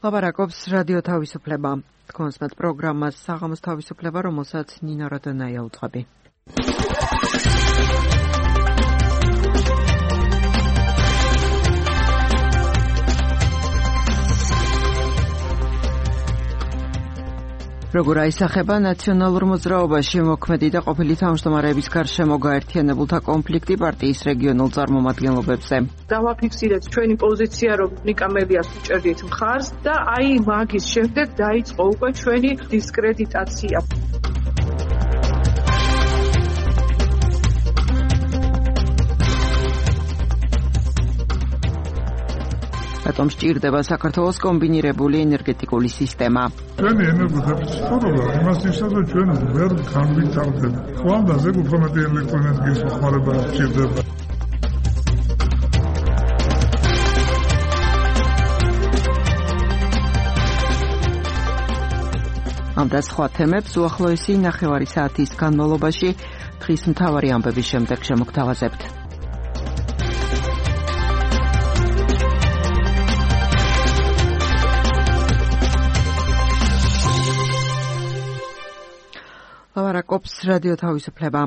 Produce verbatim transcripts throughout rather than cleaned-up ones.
ლაპარაკობს რადიო თავისუფლება. Თქვენს პროგრამას საღამოს თავისუფლება, რომელსაც ნინა როდანაია უძღვები. როგორ აისახება ნაციონალურ მოძრაობაში მოქმედი და ყოფილი თავმჯდომარეების გარშემო გაერთიანებულთა კონფლიქტი პარტიის რეგიონულ წარმომადგენლობებზე. დავაფიქსირეთ ჩვენი პოზიცია, რომ ნიკა მელიას უჭერდით მხარს და აი მაგის შემდეგ დაიწყო უკვე ჩვენი დისკრედიტაცია. რატომ სჭირდება საქართველოს კომბინირებული ენერგეტიკული სისტემა? ჩვენი ენერგოდეფიციტურობა იმას ნიშნავს, რომ ჩვენ ვერ განვითარდება. ხვალდაზე უფრო მეტი ელექტროენერგიის მოხმარება სჭირდება. ამ და სხვა თემებს უახლოესი ნახევარი საათის განმავლობაში დღის მთავარი ამბების შემდეგ შემოგთავაზებთ. ლაპარაკობს რადიო თავისუფლება.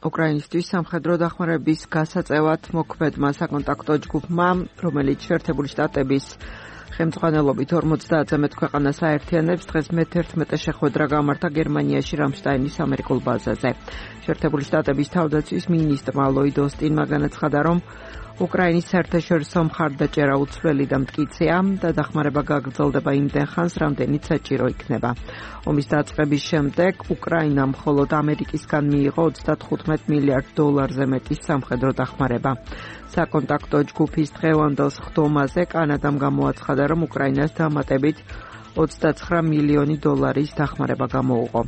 უკრაინისტვის სამხედრო დახმარების გასაწევად მოქმედმა საკონტაქტო ჯგუფმა, რომელიც შეერთებული შტატების ხელმძღვანელობით ორმოცდაათზე მეტ ქვეყანას აერთიანებს, დღეს მეთერთმეტე შეხვედრა გამართა გერმანიაში რამშტაინის ამერიკულ ბაზაზე. შეერთებული შტატების თავდაცვის მინისტრმა ლოიდ ოსტინმა განაცხადა, რომ უკრაინის საერთაშორისო მხარდაჭერა უცვლელი და მტკიცეა და დახმარება გაგრძელდება იმდენ ხანს, რამდენიც საჭირო იქნება. ომის დაწყების შემდეგ უკრაინამ მხოლოდ ამერიკისგან მიიღო ოცდათხუთმეტ მილიარდ დოლარზე მეტი სამხედრო დახმარება. საკონტაქტო ჯგუფის დღევანდელ სხდომაზე კანადამ გამოაცხადა, რომ უკრაინას დამატებით ოცდაცხრა მილიონი დოლარის დახმარება გამოუღო.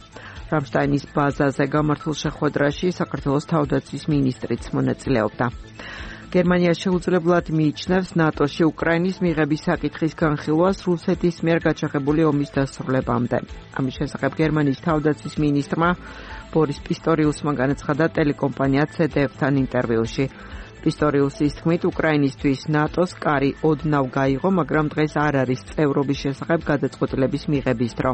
რამშტაინის ბაზაზე გამართულ შეხვედრაში საქართველოს თავდაცვის მინისტრიც მონაწილეობდა. გერმანია შეუძლებლად მიიჩნევს ნატოში უკრაინის მიღების საკითხის განხილვას რუსეთის მიერ გაჩაღებული ომის დასრულებამდე. ამის შესახებ გერმანიის თავდაცვის მინისტრმა ბორის პისტორიუსმა განაცხადა ტელეკომპანია ცე დე ეფ-თან ინტერვიუში. პისტორიუსის თქმით, უკრაინისთვის ნატოს კარი ოდნავ გაიღო, მაგრამ დღეს არ არის წევრობის შესახებ გადაწყვეტილების მიღების დრო.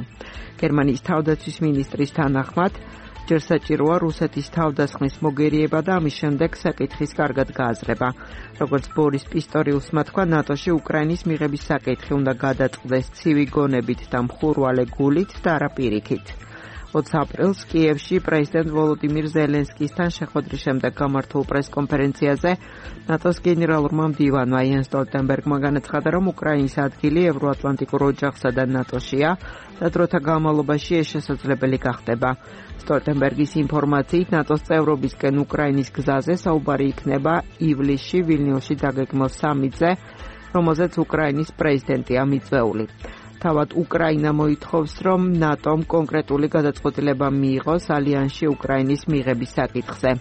გერმანიის თავდაცვის მინისტრის თანახმად, ჯერ საჭიროა რუსეთის თავდასხმის მოგერიება და ამის შემდეგ საკითხის კარგად გააზრება. როგორც ბორის პისტორიუსმა თქვა, ნატოში უკრაინის მიღების საკითხი უნდა გადაწყდეს ცივი გონებით და მხურვალე გულით და არა პირიქით. ოცი აპრილს კიევში პრეზიდენტ ვოლოდიმირ ზელენსკისთან შეხვედრის შემდეგ გამართულ პრესკონფერენციაზე ნატოს გენერალურმა მდივანმა იენს სტოლტენბერგმა განაცხადა, რომ უკრაინის ადგილი ევროატლანტიკურ ოჯახსა და ნატოშია და დროთა განმავლობაში ეს შესაძლებელი გახდება. სტოლტენბერგის ინფორმაციით, ნატოს წევრობისკენ უკრაინის გზაზე საუბარი იქნება ივლისში ვილნიუსში დაგეგმილ სამიტზე, რომელზეც უკრაინის პრეზიდენტია მიწვეული. თავად უკრაინა მოითხოვს, რომ ნატომ კონკრეტული გადაწყვეტილება მიიღოს ალიანსში უკრაინის მიღების საკითხზე.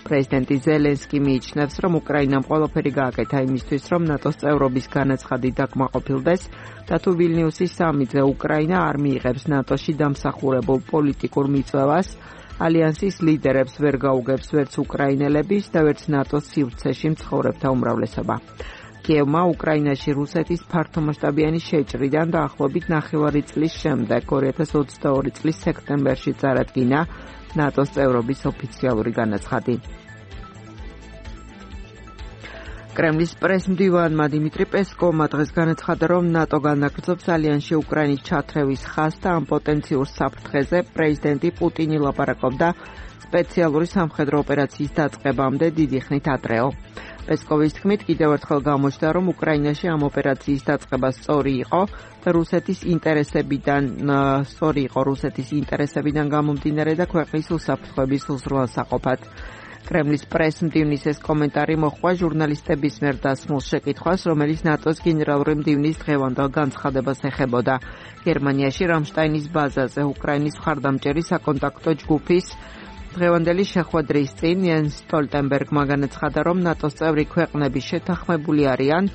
პრეზიდენტი ზელენსკი მიიჩნევს, რომ უკრაინამ ყველაფერი გააკეთა იმისთვის, რომ ნატოს წევრობის განაცხადი დაკმაყოფილდეს და თუ ვილნიუსის სამიტზე უკრაინა არ მიიღებს ნატოში დამსახურებულ პოლიტიკურ მიწვევას, ალიანსის ლიდერებს ვერ გაუგებს ვერც უკრაინელების და ვერც ნატოს სივრცეში მცხოვრებთა უმრავლესობა. კიევმა უკრაინაში რუსეთის ფართომასშტაბიანი შეჭრიდან დაახლოებით ნახევარი წლის შემდეგ ორი ათას ოცდაორი წლის სექტემბერში წარადგინა ნატოს წევრობის ოფიციალური განაცხადი. კრემლის პრესმდივანმა დიმიტრი პესკოვმა დღეს განაცხადა, რომ ნატო განაგრძობს ალიანსში უკრაინის ჩათრევის ხაზს და ამ პოტენციურ საფრთხეზე პრეზიდენტი პუტინი ლაპარაკობდა სპეციალური სამხედრო ოპერაციის დაწყებამდე დიდი ხნით ადრეო. პესკოვის თქმით, კიდევ ერთხელ გამოჩნდა, რომ უკრაინაში ამ ოპერაციის დაწყება სწორი იყო და რუსეთის ინტერესებიდან სწორი იყო რუსეთის ინტერესებიდან გამომდინარე და ქვეყნის უსაფრთხოების უზრუნველსაყოფად. კრემლის პრესმდივნის ეს კომენტარი მოჰყვა ჟურნალისტების მიერ დასმულ შეკითხვას, რომელიც ნატოს გენერალური მდივნის დღევანდელ განცხადებას ეხებოდა. გერმანიაში რამშტაინის ბაზაზე უკრაინის მხარდამჭერი საკონტაქტო ჯგუფის დღევანდელი შეხვედრის წინ იენს სტოლტენბერგმა განაცხადა, რომ ნატოს წევრი ქვეყნები შეთანხმებული არიან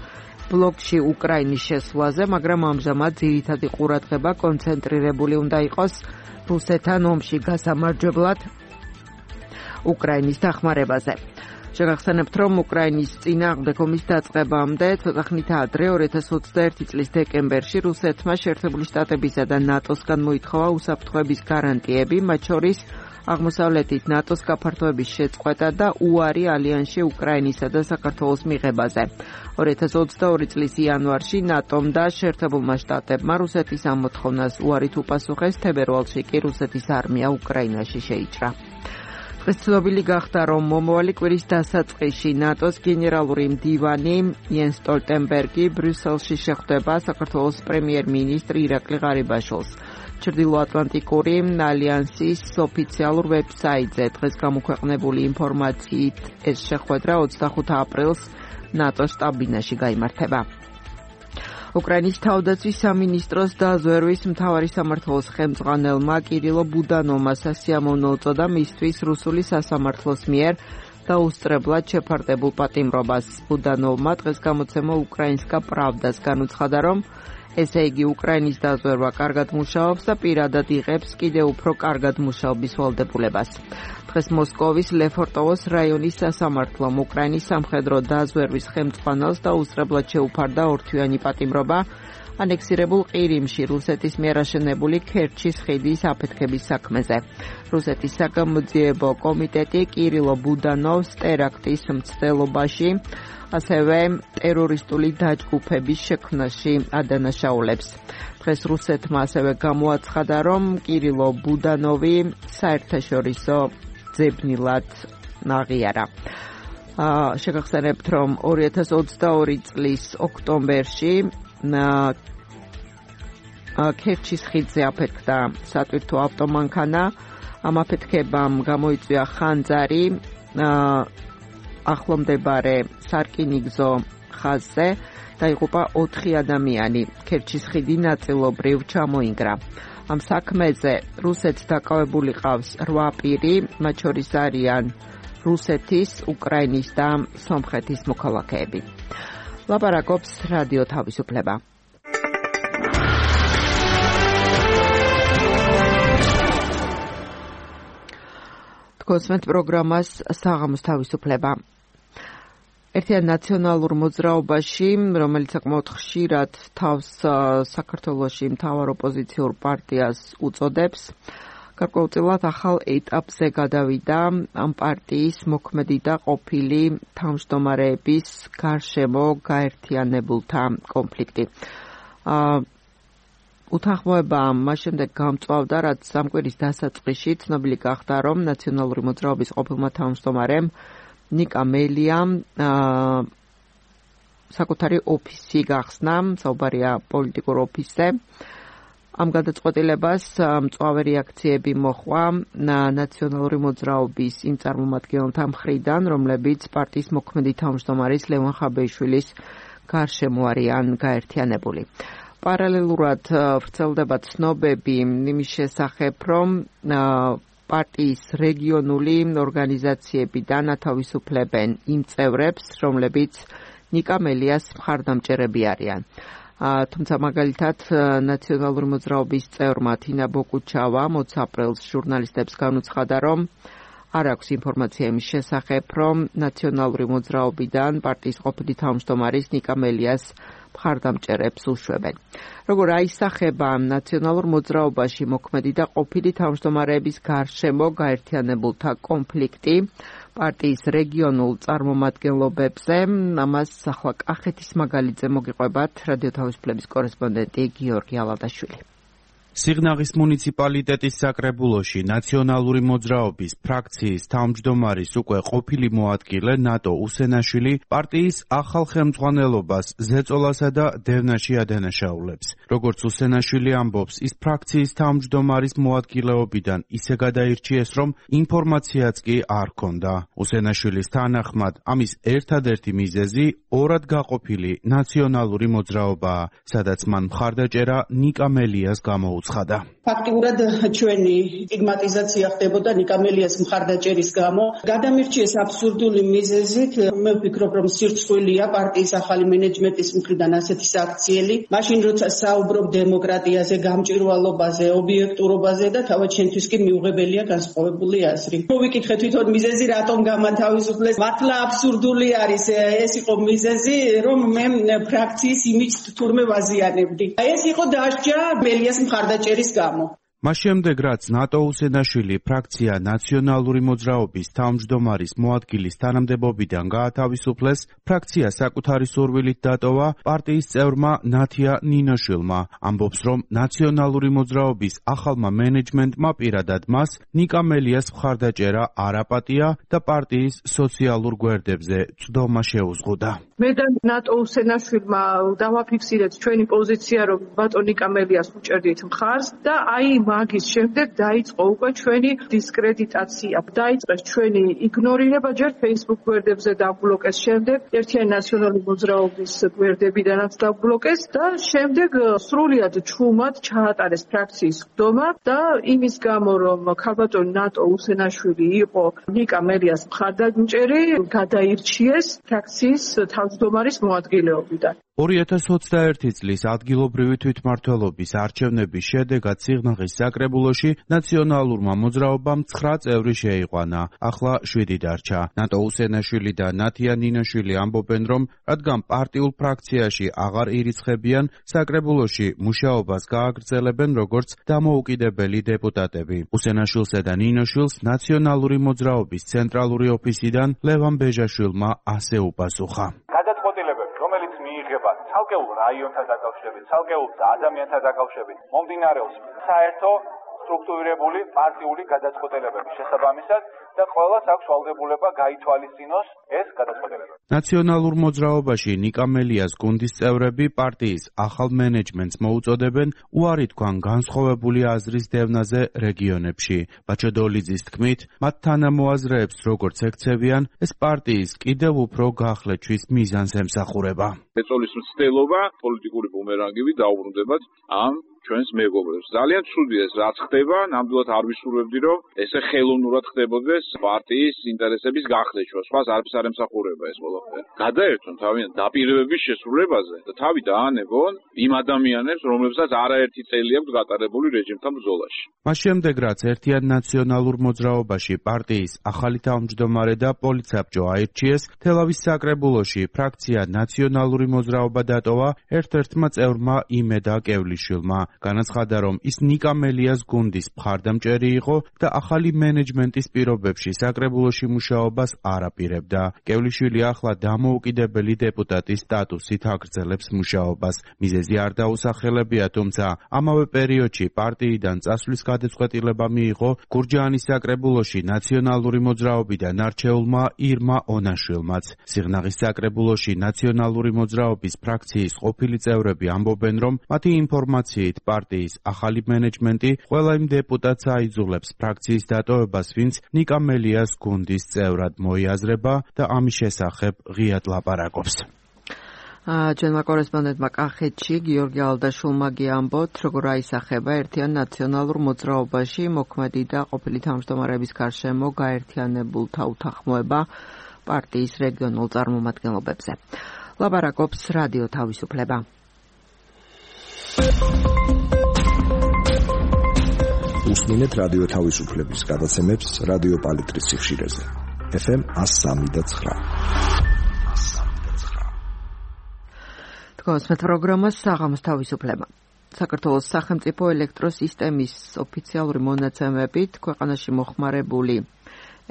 ბლოკში უკრაინის შესვლაზე, მაგრამ ამჟამად ძირითადი ყურადღება კონცენტრირებული უნდა იყოს რუსეთთან ომში გასამარჯვებლად უკრაინის დახმარებაზე. შეგახსენებთ, რომ უკრაინის წინააღმდეგ ომის დაწყებამდე ცოტა ხნით ადრე ორი ათას ოცდაერთი წლის დეკემბერში რუსეთმა შეერთებული შტატებისა და ნატოსგან მოითხოვა უსაფრთხოების გარანტიები, მათ შორის აღმოსავლეთით ნატოს გაფართოების შეწყვეტა და უარი ალიანსში უკრაინისა და საქართველოს მიღებაზე. ორი ათას ოცდაორი წლის იანვარში ნატომ და შეერთებულმა შტატებმა რუსეთის ამ მოთხოვნას უარით უპასუხეს, თებერვალში კი რუსეთის არმია უკრაინაში შეიჭრა. დღეს ცნობილი გახდა, რომ მომავალი კვირის დასაწყისში ნატოს გენერალური მდივანი იენს სტოლტენბერგი ბრიუსელში შეხვდება საქართველოს პრემიერ-მინისტრ ირაკლი ღარიბაშვილს. ჩრდილოატლანტიკური ალიანსის ოფიციალურ ვებსაიტზე დღეს გამოქვეყნებული ინფორმაციით ეს შეხვედრა ოცდახუთი აპრილს ნატოს შტაბ-ბინაში გაიმართება. უკრაინის თავდაცვის სამინისტროს დაზვერვის მთავარი სამმართველოს ხელმძღვანელმა კირილო ბუდანოვმა სასიამოვნო უწოდა მისთვის რუსული სასამართლოს მიერ დაუსწრებლად შეფარდებულ პატიმრობას. ბუდანოვმა დღეს გამოცემა უკრაინსკა პრავდას განუცხადა, რომ ესე იგი უკრაინის დაზვერვა კარგად მუშაობს და პირადად იღებს კიდევ უფრო კარგად მუშაობის ვალდებულებას. დღეს მოსკოვის ლეფორტოვოს რაიონის სასამართლომ უკრაინის სამხედრო დაზვერვის ხელმძღვანელს დაუსწრებლად შეუფარდა ორთვიანი პატიმრობა ანექსირებულ ყირიმში რუსეთის მიერ აშენებული ქერჩის ხიდის აფეთქების საქმეზე. რუსეთის საგამოძიებო კომიტეტი კირილო ბუდანოვს ტერაქტის მცდელობაში, ასევე ტერორისტული დაჯგუფების შექმნაში ადანაშაულებს. დღეს რუსეთმა ასევე გამოაცხადა, რომ კირილო ბუდანოვი საერთაშორისო ძებნილად აღიარა. შეგახსენებთ, რომ ორი ათას ოცდაორი წლის ოქტომბერში ქერჩის ხიდზე აფეთქდა სატვირთო ავტომანქანა. ამ აფეთქებამ გამოიწვია ხანძარი ახლომდებარე სარკინიგზო ხაზზე, დაიღუპა ოთხი ადამიანი. ქერჩის ხიდი ნაწილობრივ ჩამოინგრა. ამ საქმეზე რუსეთს დაკავებული ყავს რვა პირი, მათ შორის არიან რუსეთის, უკრაინის და სომხეთის მოქალაქეები. ლაპარაკობს რადიო თავისუფლება. თქვენს პროგრამას საღამოს თავისუფლება. ერთიან ნაციონალურ მოძრაობაში, რომელიც საკმაოდ ხშირად თავს საქართველოში მთავარ ოპოზიციურ პარტიას უწოდებს, გარკვეულწილად ახალ ეტაპზე გადავიდა ამ პარტიის მოქმედი და ყოფილი თავმჯდომარეების გარშემო გაერთიანებულთა კონფლიქტი. უთანხმოება მას შემდეგ გამწვავდა, რაც ამ კვირის დასაწყისში ცნობილი გახდა, რომ ნაციონალური მოძრაობის ყოფილმა თავმჯდომარემ ნიკა მელიამ საკუთარი ოფისი გახსნა, საუბარია პოლიტიკურ ოფისზე. ამ გადაწყვეტილებას მწვავე რეაქციები მოჰყვა ნაციონალური მოძრაობის იმ წარმომადგენელთა მხრიდან, რომლებიც პარტიის მოქმედი თავმჯდომარის ლევან ხაბეიშვილის გარშემო არიან გაერთიანებული. პარალელურად ვრცელდება ცნობები იმის შესახებ, რომ პარტიის რეგიონული ორგანიზაციებიდან ათავისუფლებენ იმ წევრებს, რომლებიც ნიკა მელიას მხარდამჭერები არიან. თუმცა მაგალითად ნაციონალური მოძრაობის წევრმა თინა ბოკუჩავა მოც აპრილს ჟურნალისტებს განუცხადა, რომ არ აქვს ინფორმაცია იმის შესახებ, რომ ნაციონალური მოძრაობიდან პარტიის ყოფილი თავმჯდომარის ნიკა მელიას მხარდამჭერებს უშვებენ. როგორ აისახება ნაციონალურ მოძრაობაში მოქმედი და ყოფილი თავმჯდომარეების გარშემო გაერთიანებულთა კონფლიქტი პარტიის რეგიონულ წარმომადგენლობებზე, ამას ახლა კახეთის მაგალითზე მოგიყვებათ რადიო თავისუფლების კორესპონდენტი გიორგი ალადაშვილი. სიღნაღის მუნიციპალიტეტის საკრებულოში ნაციონალური მოძრაობის ფრაქციის თავმჯდომარის უკვე ყოფილი მოადგილე ნატო უსენაშვილი პარტიის ახალ ხელმძღვანელობას ზეწოლასა და დევნაში ადანაშაულებს. როგორც უსენაშვილი ამბობს, ის ფრაქციის თავმჯდომარის მოადგილეობიდან ისე გადაირჩიეს, რომ ინფორმაციაც კი არ ჰქონდა. უსენაშვილის თანახმად, ამის ერთადერთი მიზეზი ორად გაყოფილი ნაციონალური მოძრაობაა, სადაც მან მხარდაჭერა ნიკა მელიას გამოუცხადა. შეუცხადა. ფაქტიურად ჩვენი სტიგმატიზაცია ხდებოდა ნიკამელიას მხარდაჭერის გამო. გადამირჩიეს აბსურდული მიზეზით. მე ვფიქრობ, რომ სირცხვილია პარტიის ახალი მენეჯმენტის მხრიდან ასეთი საქციელი. მაშინ როცა საუბრობ დემოკრატიაზე, გამჭვირვალობაზე, ობიექტურობაზე და თავად შენთვის კი მიუღებელია განსხვავებული აზრი. მოვიკითხე თვითონ მიზეზი რატომ გამათავისუფლეს. მართლა აბსურდული არის ეს იყო მიზეზი, რომ მე ფრაქციის იმიჯს თურმე ვაზიანებდი. ეს იყო დასჯა მელიას მხარდაჭერის გამო. მას შემდეგ, რაც ნატო უსენაშვილი ფრაქცია ნაციონალური მოძრაობის თავმჯდომარის მოადგილის თანამდებობიდან გაათავისუფლეს, ფრაქცია საკუთარი სურვილით დატოვა პარტიის წევრმა ნათია ნინოშვილმა. ამბობს, რომ ნაციონალური მოძრაობის ახალმა მენეჯმენტმა პირადად მას ნიკამელიას მხარდაჭერა არ აპატია და პარტიის სოციალურ გვერდებზე წვდომა შეუზღუდა. მე და ნატო უსენაშვილმა დავაფიქსირეთ ჩვენი პოზიცია, რომ ბატონ ნიკამელიას უჭერდით მხარს და აი მაგის შემდეგ დაიწყო უკვე ჩვენი დისკრედიტაცია. დაიწყეს ჩვენი იგნორირება, ჯერ Facebook გვერდებზე დაბლოკეს, შემდეგ ერთიანი ნაციონალური მოძრაობის გვერდებიდანაც დაბლოკეს და შემდეგ სრულიად ჩუმად ჩაატარეს ფრაქციის ხდომა და იმის გამო, რომ ქალბატონი ნატო უსენაშვილი იყო ნიკამელიას მხარდაჭერი, გადაირჩიეს ფრაქციის თავმჯდომარის მოადგილეობიდან. ორი ათას ოცდაერთი წლის ადგილობრივი თვითმმართველობის არჩევნების შედეგად სიღნაღის საკრებულოში ნაციონალურმა მოძრაობამ ცხრა წევრი შეიყვანა, ახლა შვიდი დარჩა. ნატო უსენაშვილი და ნათია ნინოშვილი ამბობენ, რომ რადგან პარტიულ ფრაქციაში აღარ ირიცხებიან, საკრებულოში მუშაობას გააგრძელებენ როგორც დამოუკიდებელი დეპუტატები. უსენაშვილსა და ნინოშვილს ნაციონალური მოძრაობის ცენტრალური ოფისიდან ლევან ბეჟაშვილმა ასე უპასუხა. ცალკეულ რაიონთან დაკავშირებით, ცალკეულ ადამიანთან დაკავშირებით მომდინარეობს საერთო სტრუქტურირებული პარტიული გადაწყვეტილებების შესაბამისად და ყველას აქვს ვალდებულება გაითვალისწინოს ეს გადაწყვეტილებები. ნაციონალურ მოძრაობაში ნიკამელიას გუნდის წევრები პარტიის ახალ მენეჯმენტს მოუწოდებენ უარი თქვან განსხვავებული აზრის დევნაზე რეგიონებში. ბაჩო დოლიძის თქმით, მათ თანამოაზრეებს როგორც ექცევიან, ეს პარტიის კიდევ უფრო გახლეჩვის მიზანს ემსახურება. ეწოლის მცდელობა პოლიტიკური ბუმერანგები დაუბრუნდებათ ამ ჩვენს მეგობრებს. ძალიან ცუდია ეს რაც ხდება, ნამდვილად არ ვისურვებდი, რომ ესე ხელოვნურად ხდებოდეს პარტიის ინტერესების გახლეჩვა. სხვას არც არ ემსახურება ეს ყველაფერი. გადაერთონ თავიანთ დაპირებების შესრულებაზე და თავი დაანებონ იმ ადამიანებს, რომლებსაც არაერთი წელი აქვს გატარებული რეჟიმთან ბრძოლაში. მას შემდეგ, რაც ერთიან ნაციონალურ მოძრაობაში პარტიის ახალი თავმჯდომარე და პოლიცაბჭო აირჩიეს, თელავის საკრებულოში ფრაქცია ნაციონალური მოძრაობა დატოვა ერთ-ერთმა წევრმა იმედა კევლიშვილმა. განაცხადა, რომ ის ნიკამელიას გუნდის მხარდამჭერი იყო და ახალი მენეჯმენტის პირობებში საკრებულოში მუშაობას არ აპირებდა. კევლიშვილი ახლა დამოუკიდებელი დეპუტატის სტატუსით აგრძელებს მუშაობას. მიზეზი არ დაუსახელებია, თუმცა ამავე პერიოდში პარტიიდან წასვლის გადაწყვეტილება მიიღო გურჯაანის საკრებულოში ნაციონალური მოძრაობიდან არჩეულმა ირმა ონაშვილმაც. სიღნაღის საკრებულოში ნაციონალური მოძრაობის ფრაქციის ყოფილი წევრები ამბობენ, რომ მათი ინფორმაციით პარტიის ახალი მენეჯმენტი ყველა იმ დეპუტატს აიძულებს ფრაქციის დატოვებას, ვინც ნიკამელიას გუნდის წევრად მოიაზრება და ამის შესახებ ღიად ლაპარაკობს. ჩვენმა კორესპონდენტმა კახეთში გიორგი ალდაშულმა გიამბოთ, როგორ აისახება ერთიან ნაციონალურ მოძრაობაში მოქმედი და ყოფილი თავმჯდომარეების გარშემო გაერთიანებულთა უთანხმოება პარტიის რეგიონულ წარმომადგენლობებზე. ლაპარაკობს რადიო თავისუფლება. უსმინეთ რადიო თავისუფლების გადაცემებს რადიო პალიტრის სიხშირეზე. ეფ ემ one oh three point nine. თქვენს პროგრამას საღამოს თავისუფლება. საქართველოს სახელმწიფო ელექტროსისტემის ოფიციალური მონაცემებით ქვეყანაში მოხმარებული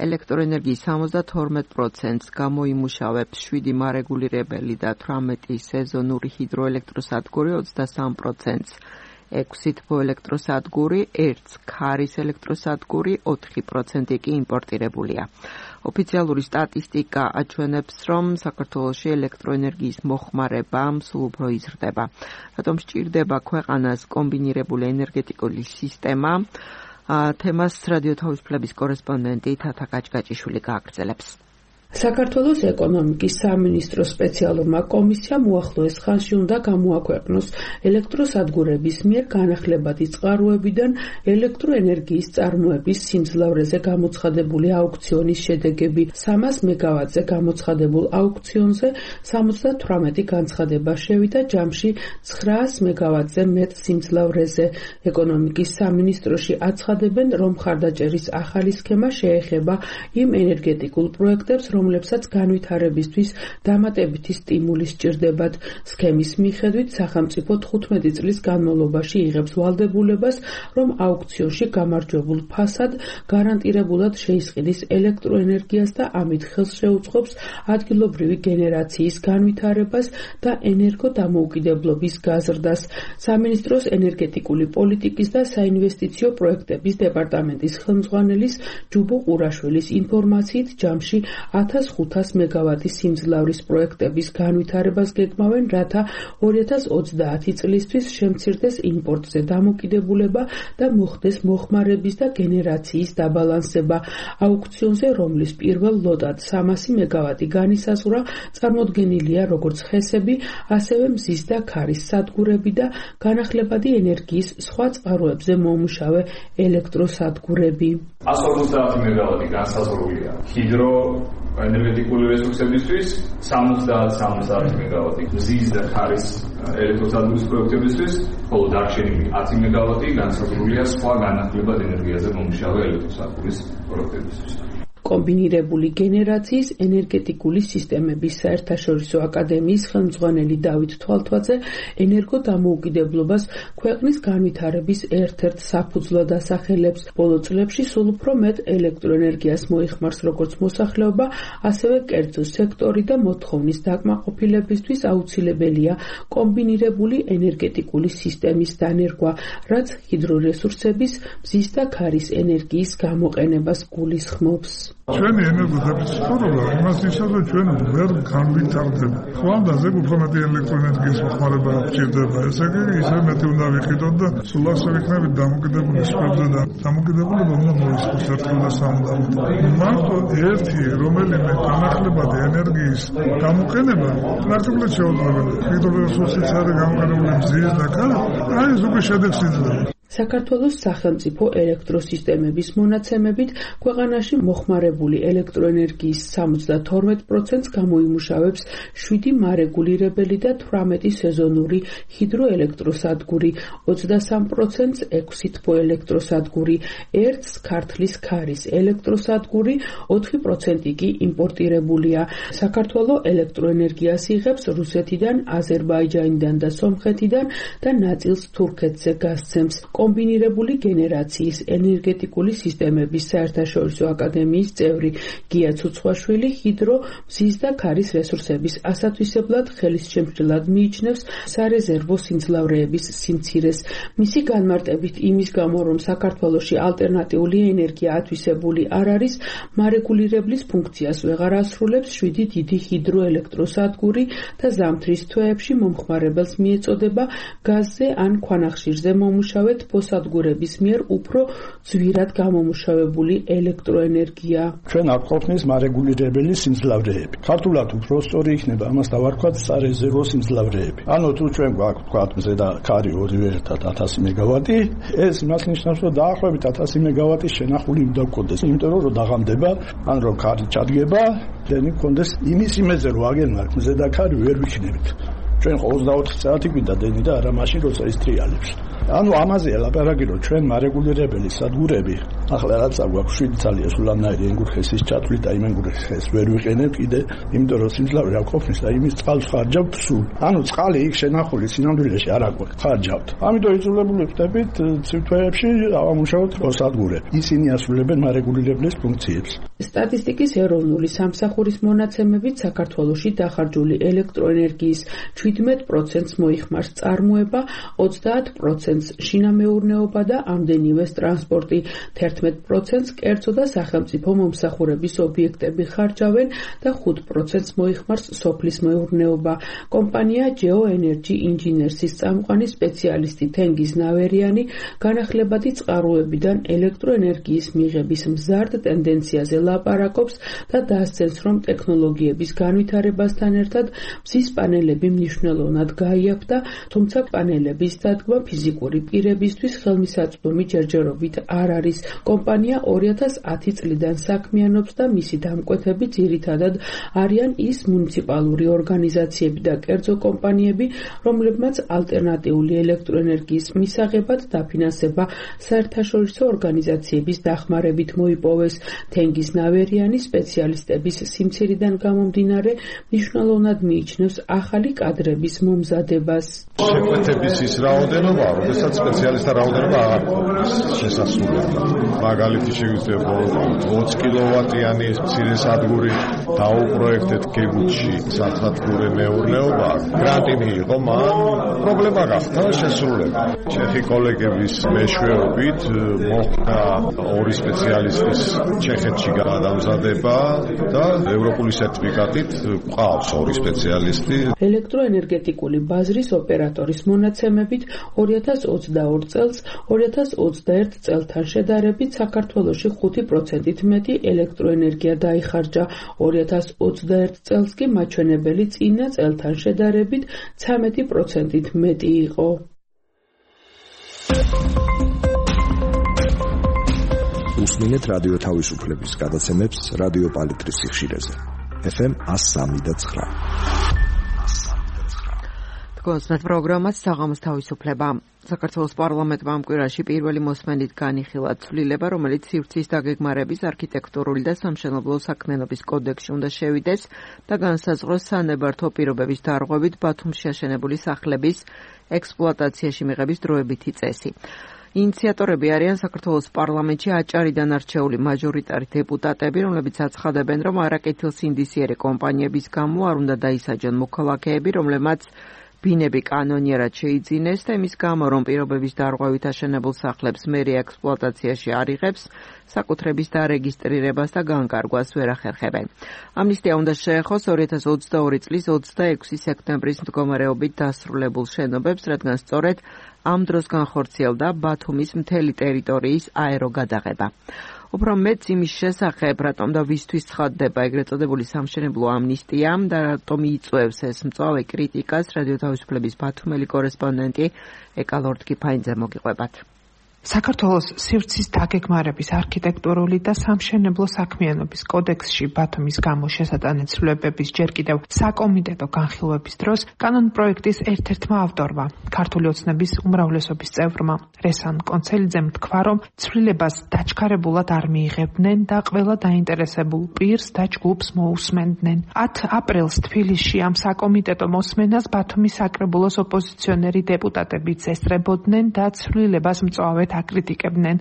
ელექტროენერგიის ოცდათორმეტ პროცენტს გამოიმუშავებს შვიდი მარეგულირებელი და თვრამეტი სეზონური ჰიდროელექტროსადგური, ოცდასამ პროცენტს ექვსი თბოელექტროსადგური, ერთს ქარის ელექტროსადგური, ოთხი პროცენტი კი იმპორტირებულია. ოფიციალური სტატისტიკა აჩვენებს, რომ საქართველოში ელექტროენერგიის მოხმარება სულ უფრო იზრდება. რატომ სჭირდება ქვეყანას კომბინირებული ენერგეტიკული სისტემა? თემას რადიო თავისუფლების კორესპონდენტი თათა გაჭგაჭიშვილი გააგრძელებს. საქართველოს ეკონომიკის სამინისტროს სპეციალურმა კომისიამ უახლოეს ხანში უნდა გამოაქვეყნოს ელექტროსადგურების მიერ განახლებადი წყაროებიდან ელექტროენერგიის წარმოების სიმძლავრეზე გამოცხადებული აუქციონის შედეგები. სამას მეგავატზე გამოცხადებულ აუქციონზე სამოცდათვრამეტი განცხადება შევიდა ჯამში ცხრაას მეგავატზე მეტ სიმძლავრეზე. ეკონომიკის სამინისტროში აცხადებენ, რომ მხარდაჭერის ახალი სქემა შეეხება იმ ენერგეტიკულ პროექტებს, რომლებსაც განვითარებისთვის დამატებითი სტიმული სჭირდებათ. სქემის მიხედვით სახელმწიფო თხუთმეტი წლის განმავლობაში იღებს ვალდებულებას, რომ აუქციონში გამარჯვებულ ფასად გარანტირებულად შეისყიდის ელექტროენერგიას და ამით ხელს შეუწყობს ადგილობრივი გენერაციის განვითარებას და ენერგოდამოუკიდებლობის გაზრდას. სამინისტროს ენერგეტიკული პოლიტიკის და საინვესტიციო პროექტების დეპარტამენტის ხელმძღვანელის ჯუბო ყურაშვილის ინფორმაციით ჯამში ათას ხუთას მეგავატის სიმძლავრის პროექტების განვითარებას გეგმავენ, რათა ორი ათას ოცდაათი წლისთვის შემცირდეს იმპორტზე დამოკიდებულება და მოხდეს მოხმარების და გენერაციის დაბალანსება. აუქციონზე, რომლის პირველ ლოტად სამასი მეგავატი განისაზღვრა, წარმოდგენილია როგორც ხესები, ასევე მზის და ქარის სადგურები და განახლებადი ენერგიის სხვა წყაროებზე მომუშავე ელექტროსადგურები. ას ოცდაათი მეგავატი განსაზღვრულია ჰიდრო ენერგეტიკული რესურსებისთვის, სამოცდაათი სამოცდაათი მეგავატი მზის და ქარის ელექტროსადგურის პროექტებისთვის, ხოლო დარჩენილი ათი მეგავატი განსაზღვრულია სხვა განახლებად ენერგიაზე მომუშავე ელექტროსადგურის პროექტებისთვის. კომბინირებული გენერაციის ენერგეტიკული სისტემების საერთაშორისო აკადემიის ხელმძღვანელი დავით თვალთვაძე ენერგოდამოუკიდებლობას ქვეყნის განვითარების ერთ-ერთ საფუძვლად ასახელებს. ბოლო წლებში სულ უფრო მეტ ელექტროენერგიას მოიხმარს როგორც მოსახლეობა, ასევე კერძო სექტორი და მოთხოვნის დაკმაყოფილებისთვის აუცილებელია კომბინირებული ენერგეტიკული სისტემის დანერგვა, რაც ჰიდრორესურსების, მზის და ქარის ენერგიის გამოყენებას გულისხმობს. ჩვენი ენერგოდაფიციტურობა იმას ნიშნავს, რომ ჩვენ ვერ განვითარდება. ხვალდა ზეგ უფრო მეტი ელექტროენერგიის მოხმარება გვჭირდება. ესე იგი, ისე მეტი უნდა ვიყიდოთ და სულ ასე ვიქნებით დამოკიდებული სფეროზე და დამოკიდებულება უნდა მოისურვოს ერთხელ და სამუდამოდ. მარტო ერთი რომელიმე განახლებადი ენერგიის გამოყენება პრაქტიკულად შეუძლებელია. ჰიდრორესურსიც არის გამოყენებული მზის და ქარის, აი ეს უკვე შედეგს იძლევა. საქართველოს სახელმწიფო ელექტროსისტემების მონაცემებით ქვეყანაში მოხმარებული ელექტროენერგიის სამოცდათორმეტ პროცენტს გამოიმუშავებს შვიდი მარეგულირებელი და თვრამეტი სეზონური ჰიდროელექტროსადგური, ოცდასამ პროცენტს ექვსი თბოელექტროსადგური, ერთს ქართლის ქარის ელექტროსადგური, ოთხი პროცენტი კი იმპორტირებულია. საქართველო ელექტროენერგიას იღებს რუსეთიდან, აზერბაიჯანიდან და სომხეთიდან და ნაწილს თურქეთზე გასცემს. კომბინირებული გენერაციის ენერგეტიკული სისტემების საერთაშორისო აკადემიის წევრი გია ცუცხვაშვილი ჰიდრო, მზის და ქარის რესურსების ასათვისებლად ხელისშემშლად მიიჩნევს სარეზერვო სიმძლავრეების სიმცირეს. მისი განმარტებით იმის გამო, რომ საქართველოში ალტერნატიული ენერგია ათვისებული არ არის, მარეგულირებლის ფუნქციას ვეღარ ასრულებს შვიდი დიდი ჰიდროელექტროსადგური და ზამთრის თვეებში მომხმარებელს მიეწოდება გაზზე ან ქვანახშირზე მომუშავე თბოსადგურების მიერ უფრო ძვირად გამომუშავებული ელექტროენერგია. ჩვენ არ გვყავს მარეგულირებელი სიმძლავრეები. ქართულად უფრო სწორი იქნება ამას დავარქვათ სარეზერვო სიმძლავრეები. ანუ თუ ჩვენ გვაქვს თქვა მზე და ქარი ორივე ერთად ათასი მეგავატი, ეს იმას ნიშნავს, რომ დაახლოებით ათასი მეგავატის შენახული უნდა გქონდეს, იმიტომ რომ დაღამდება, ან რომ ქარი ჩადგება, დენი გქონდეს იმის იმეზე რომ აგენმართ მზე და ქარი ვერ ვიქნებით. ჩვენ ოცდაოთხი საათი გვინდა დენი და არა მაშინ როცა ის ტრიალებს. ანუ ამაზე ლაპარაკი რომ ჩვენ მარეგულირებელი სადგურები ახლა რაც აგვაქვს შვიდი ძალიან სულანაირი ენგურხესის ჩათვლით და იმ ენგურხეს ვერ ვიყენებ კიდე, იმიტომ რომ სიმძლავრე არ ყოფნის და იმის წყალს ხარჯავთ სულ. ანუ წყალი იქ შენახული სინამდვილეში არ აგვაქვს, ხარჯავთ. ამიტომ იძულებული ვხდებით ცივ თვეებში ავამუშავოთ სადგურები. ისინი ასრულებენ მარეგულირებლის ფუნქციებს. სტატისტიკის ეროვნული სამსახურის მონაცემებით საქართველოში დახარჯული ელექტროენერგიის შვიდმეტ პროცენტს მოიხმარს წარმოება, ოცდაათ პროცენტს შინამეურნეობა და ამდენივე ტრანსპორტი, თერთმეტ პროცენტს კერძო და სახელმწიფო მომსახურების ობიექტები ხარჯავენ და ხუთ პროცენტს მოიხმარს სოფლის მეურნეობა. კომპანია Geo Energy Engineers-ის წამყვანი სპეციალისტი თენგიზ ნავერიანი განახლებადი წყაროებიდან ელექტროენერგიის მიღების მზარდ ტენდენციაზე ლაპარაკობს და დასცენს, რომ ტექნოლოგიების განვითარებასთან ერთად მზის პანელები მნიშვნელოვნად გაიაფთა, თუმცა პანელების დადგმა ფიზიკური პირებისთვის ხელმისაწვდომი ჯერჯერობით არ არის. კომპანია ორი ათას ათი წლიდან საქმიანობს და მისი დამკვეთები ძირითადად არიან ის მუნიციპალური ორგანიზაციები და კერძო კომპანიები, რომლებმაც ალტერნატიული ელექტროენერგიის მისაღებად დაფინანსება საერთაშორისო ორგანიზაციების დახმარებით მოიპოვეს. თენგიზ ნავერიანი სპეციალისტების სიმცირიდან გამომდინარე მნიშვნელოვნად მიიჩნევს ახალი კადრების მომზადებას. შეკვეთების ის რაოდენობა, როდესაც სპეციალისტთა რაოდენობა აღარ შესასრულებლად. მაგალითი შეგვიძლია ოცი კილოვატიანი მცირე სადგური დაუპროექტეთ გეგუთში საცხოვრებელ მეურნეობა. გრანტი მიიღო, მან პრობლემა გახდა შესრულება. ჩეხი კოლეგების მეშვეობით მოხდა ორი სპეციალისტის ჩეხეთში გადამზადება და ევროპული სერტიფიკატით ყავს ორი სპეციალისტი. ელექტროენერგეტიკული ბაზრის ოპერატორის მონაცემებით ორი ათას ოცდაორ წელს ორი ათას ოცდაერთ წელთან შედარებით საქართველოში ხუთი პროცენტით მეტი ელექტროენერგია დაიხარჯა. ორი ათას ოცდაერთ წელს კი მაჩვენებელი წინა წელთან შედარებით ცამეტი პროცენტით მეტი იყო. უსმინეთ რადიო თავისუფლების გადაცემებს რადიო პალიტრის სიხშირეზე. ეფ ემ ას სამი და ცხრა. კონსტანტ პროგრამას საღამოს თავისუფლება. საქართველოს პარლამენტმა ამ კვირაში პირველი მოსმენით განიხილა ცვლილება, რომელიც სივრცის დაგეგმარების არქიტექტურული და სამშენებლო საქმიანობის კოდექსში უნდა შევიდეს და განსაზღვროს სანებართვო პირობების დარღვევით ბათუმში აშენებული სახლების ექსპლუატაციაში მიღების დროებითი წესი. ინიციატორები არიან საქართველოს პარლამენტში აჭარიდან არჩეული მაჟორიტარი დეპუტატები, რომლებიც აცხადებენ, რომ არაკეთილსინდისიერი კომპანიების გამო არ უნდა დაისაჯონ მოქალაქეები, რომლებმაც ბინები კანონიერად შეიძინეს და იმის გამო, რომ პირობების დარღვევით აშენებულ სახლებს მერია ექსპლუატაციაში არ იღებს, საკუთრების დარეგისტრირებას და განკარგვას ვერ ახერხებენ. ამნისტია უნდა შეეხოს ორი ათას ოცდაორი წლის ოცდაექვსი სექტემბრის მდგომარეობით დასრულებულ შენობებს, რადგან სწორედ ამ დროს განხორციელდა ბათუმის მთელი ტერიტორიის აეროგადაღება. უფრო მეც იმის შესახებ, რატომ და ვისთვის ცხადდება ეგრეთ წოდებული სამშენებლო ამნისტია და რატომ იწვევს ეს მწვავე კრიტიკას, რადიო თავისუფლების ბათუმელი კორესპონდენტი ეკა ლორდ-კიფაინძე მოგიყვებათ. საქართველოს სივრცის დაგეგმარების არქიტექტურული და სამშენებლო საქმიანობის კოდექსში ბათუმის გამო შესატანეთ ცვლილებების ჯერ კიდევ საკომიტეტო განხილვების დროს კანონპროექტის ერთ-ერთმა ავტორმა, ქართული ოცნების უმრავლესობის წევრმა რესან კონცელიძემ თქვა, რომ ცვლილებას დაჩქარებულად არ მიიღებდნენ და ყველა დაინტერესებულ პირს და ჯგუფს მოусმენდნენ. ათი აპრილს თბილისში ამ საკომიტეტო მოსმენას ბათუმის საკრებულოს ოპოზიციონერი დეპუტატებიც ესწრებოდნენ და ცვლილებას მწვავედ აკრიტიკებდნენ.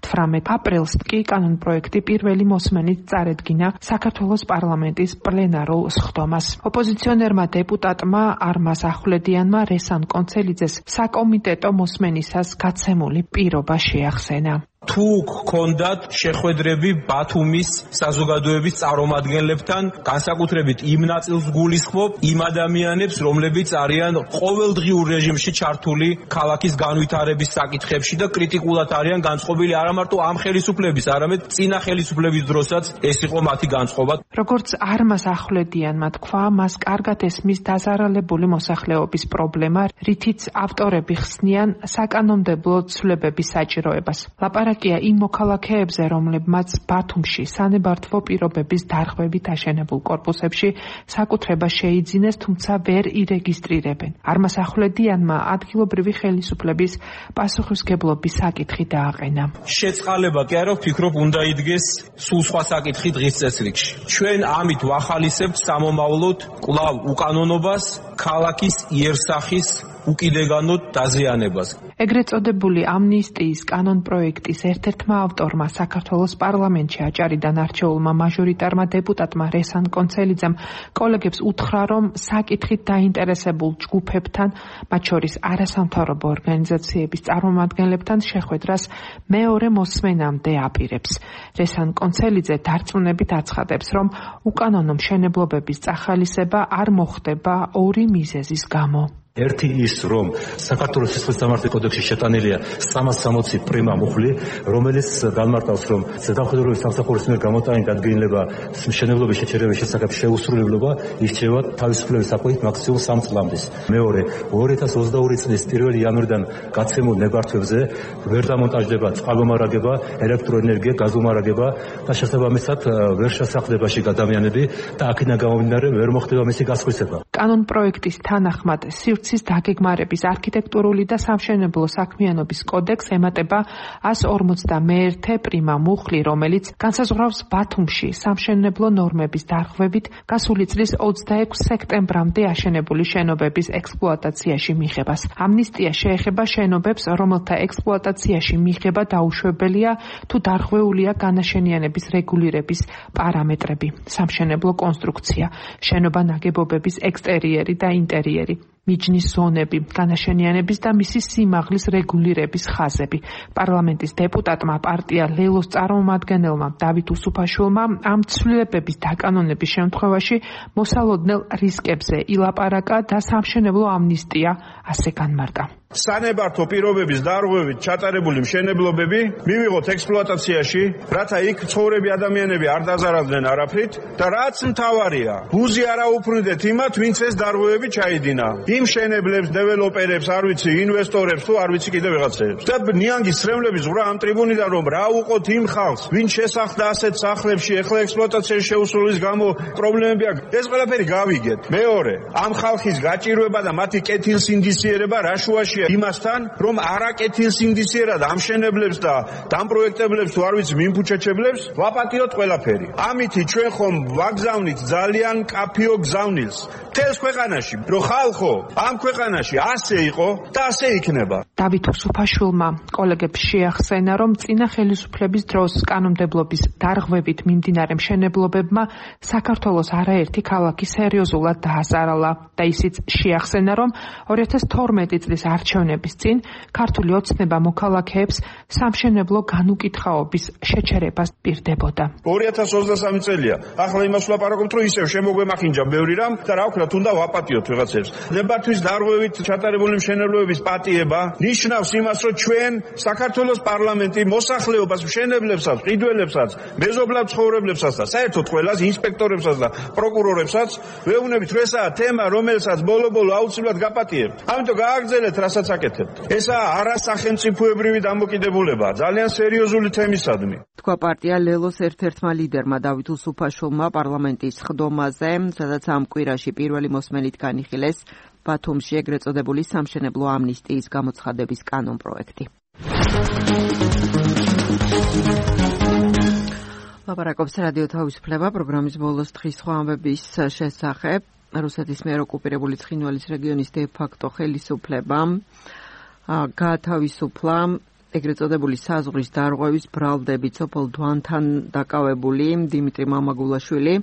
თვრამეტ აპრილს კი კანონპროექტი პირველი მოსმენით წარედგინა საქართველოს პარლამენტის პლენარულ სხდომას. ოპოზიციონერმა დეპუტატმა არმაზ ახვლედიანმა რესან კონცელიძეს საკომიტეტო მოსმენისას გაცემული პირობა შეახსენა. თუ გქონდათ შეხვედრები ბათუმის საზოგადოების წარმომადგენლებთან, განსაკუთრებით იმ ნაწილს გულისხმობ, იმ ადამიანებს, რომლებიც არიან ყოველდღიურ რეჟიმში ჩართული ქალაქის განვითარების საკითხებში და კრიტიკულად არიან განწყობილი არა მარტო ამ ხელისუფლების, არამედ წინა ხელისუფლების დროსაც ეს იყო მათი განწყობა. როგორც არმაზ ახვლედიანმა თქვა, მას კარგად ესმის დაზარალებული მოსახლეობის პრობლემა, რითიც ავტორები ხსნიან საკანონმდებლო ცვლილებების საჭიროებას. ლაპარაკია იმ მოქალაქეებზე, რომლებმაც ბათუმში სანებართვო პირობების დარღვევით აშენებულ კორპუსებში საკუთრება შეიძინეს, თუმცა ვერ ირეგისტრირებენ. არმაზ ახვლედიანმა ადგილობრივი ხელისუფლების პასუხისმგებლობის საკითხი დააყენა. შეწყალება კი არა, ვფიქრობ, უნდა იდგეს სულ სხვა საკითხი დღის წესრიგში. ჩვენ ამით ვახალისებთ სამომავლოდ კვლავ უკანონობას, ქალაქის იერსახის უკიდეგანოდ დაზიანებას. ეგრეთ წოდებული ამნისტიის კანონპროექტის ერთ-ერთმა ავტორმა, საქართველოს პარლამენტში აჭარიდან არჩეულმა მაჟორიტარმა დეპუტატმა რესან კონცელიძემ კოლეგებს უთხრა, რომ საკითხით დაინტერესებულ ჯგუფებთან, მათ შორის არასამთავრობო ორგანიზაციების წარმომადგენლებთან შეხვედრას მეორე მოსმენამდე აპირებს. რესან კონცელიძე დარწმუნებით აცხადებს, რომ უკანონო მშენებლობების წახალისება არ მოხდება ორი მიზეზის გამო. ერთი ის, რომ საქართველოს სისხლის სამართლის კოდექსში შეტანილია სამას სამოცი პრიმა მუხლი, რომელიც განმარტავს, რომ ზედამხედველობის სამსახურის მიერ გამოტანილი დადგენილება მშენებლობის შეჩერების შესახებ შეუსრულებლობა ირჩევა თავისუფლების საკვებით მაქსიმუმ სამ წლამდე. მეორე, ორი ათას ოცდაორი წლის პირველი იანვრიდან გაცემულ ნებართვებზე ვერ დამონტაჟდება წყალმომარაგება, ელექტროენერგია, გაზომარაგება და შესაბამისად ვერ შესახლებაში ადამიანები და აქედან გამომდინარე ვერ მოხდება მისი გასხვისება. კანონ პროექტის თანახმად სივრცის დაგეგმარების არქიტექტურული და სამშენებლო საქმიანობის კოდექსს ემატება ას ორმოცდამეერთე პრიმა მუხლი, რომელიც განსაზღვრავს ბათუმში სამშენებლო ნორმების დარღვევით გასული წლის ოცდაექვსი სექტემბრამდე აშენებული შენობების ექსპლუატაციაში მიღებას. ამნისტია შეეხება შენობებს, რომელთა ექსპლუატაციაში მიღება დაუშვებელია თუ დარღვეულია განაშენიანების რეგულირების პარამეტრები, სამშენებლო კონსტრუქცია, შენობა ნაგებობების ექსტერიერი და ინტერიერი, მიჯნის ზონები, განაშენიანების და მისი სიმაღლის რეგულირების ხაზები. პარლამენტის დეპუტატმა პარტია ლელოს წარმომადგენელმა დავით უსუფაშვილმა ამ ცვლილებების დაკანონების შემთხვევაში მოსალოდნელ რისკებზე ილაპარაკა და სამშენებლო ამნისტია ასე განმარტა. სანებართო პირობების დარღვევით ჩატარებული მშენებლობები მივიღოთ ექსპლუატაციაში, რათა იქ ცხოვრები ადამიანები არ დაზარალდნენ არაფრით და რაც მთავარია, ბუზი არ აუფრინდეთ იმათ, ვინც ეს დარღვევები ჩაიდინა. იმ მშენებლებს, დეველოპერებს, არ ვიცი, ინვესტორებს თუ არ ვიცი კიდე ვიღაცებს. და ნიანგის ცრემლების ზღვრა ამ ტრიბუნიდან რომ რა უყოთ იმ ხალხს, ვინც შესახლდა ასეთ სახლებში, ეხლა ექსპლუატაციაში შეუსრულის გამო პრობლემები აქვს. ეს ყველაფერი გავიგეთ. მეორე, ამ ხალხის გაჭირვება და მათი კეთილსინდისიერება რა შუაში იმასთან, რომ არაკეთილსინდისიერად ამშენებლებს და დამპროექტებლებს თუ არ ვიცი მიმფუჩეჩებლებს ვაპატიოთ ყველაფერი. ამითი ჩვენ ხომ ვაგზავნით ძალიან კაფიო გზავნილს მთელს ქვეყანაში, რომ ხალხო ამ ქვეყანაში ასე იყო და ასე იქნება. დავით უსუფაშვილმა კოლეგებს შეახსენა, რომ წინა ხელისუფლების დროს კანონმდებლობის დარღვევით მიმდინარე მშენებლობებმა საქართველოს არაერთი ქალაქი სერიოზულად დაასარალა და ისიც შეახსენა, რომ ორი ათას თორმეტი წლის არჩევნების წინ ქართული ოცნება მოქალაქეებს სამშენებლო განუკითხაობის შეჩერებას პირდებოდა. ორი ათას ოცდასამი წელია. ახლა იმას ვლაპარაკობთ, რომ ისევ შემოგვემახინჯა ბევრი რამ და რა ვქნათ, უნდა ვაპატიოთ ვიღაცებს. ნებართვის დარღვევით ჩატარებული მშენებლობების პატიება ნიშნავს იმას, რომ ჩვენ საქართველოს პარლამენტი მოსახლეობას, მშენებლებსაც, ყიდველებსაც, მეზობლად ცხოვრებლებსაც და საერთოდ ყველას, ინსპექტორებსაც და პროკურორებსაც ვეუბნებით, რომ ესაა თემა, რომელსაც ბოლო-ბოლო აუცილებლად გაპატიებთ. ამიტომ გააგრძელეთ, რასაც აკეთებთ. ესაა არასახელმწიფოებრივი დამოკიდებულება, ძალიან სერიოზული თემისადმი. თქვა პარტია ლელოს ერთ-ერთმა ლიდერმა დავით უსუფაშვილმა პარლამენტის ხდომაზე, სადაც ამ კვირაში პირველი მოსმენით განიხილეს ბათუმში ეგრეთ წოდებული სამშენებლო ამნისტიის გამოცხადების კანონ პროექტი. ლაპარაკობს რადიო თავისუფლება პროგრამის ბოლოს დღის სხვა ამბების შესახებ. რუსეთის მიერ ოკუპირებული ცხინვალის რეგიონის დე-ფაქტო ხელისუფლებამ გაათავისუფლა ეგრეთ წოდებული საზღვრის დარღვევის ბრალდებით სოფელ დვანთან დაკავებული დიმიტრი მამაგულაშვილი.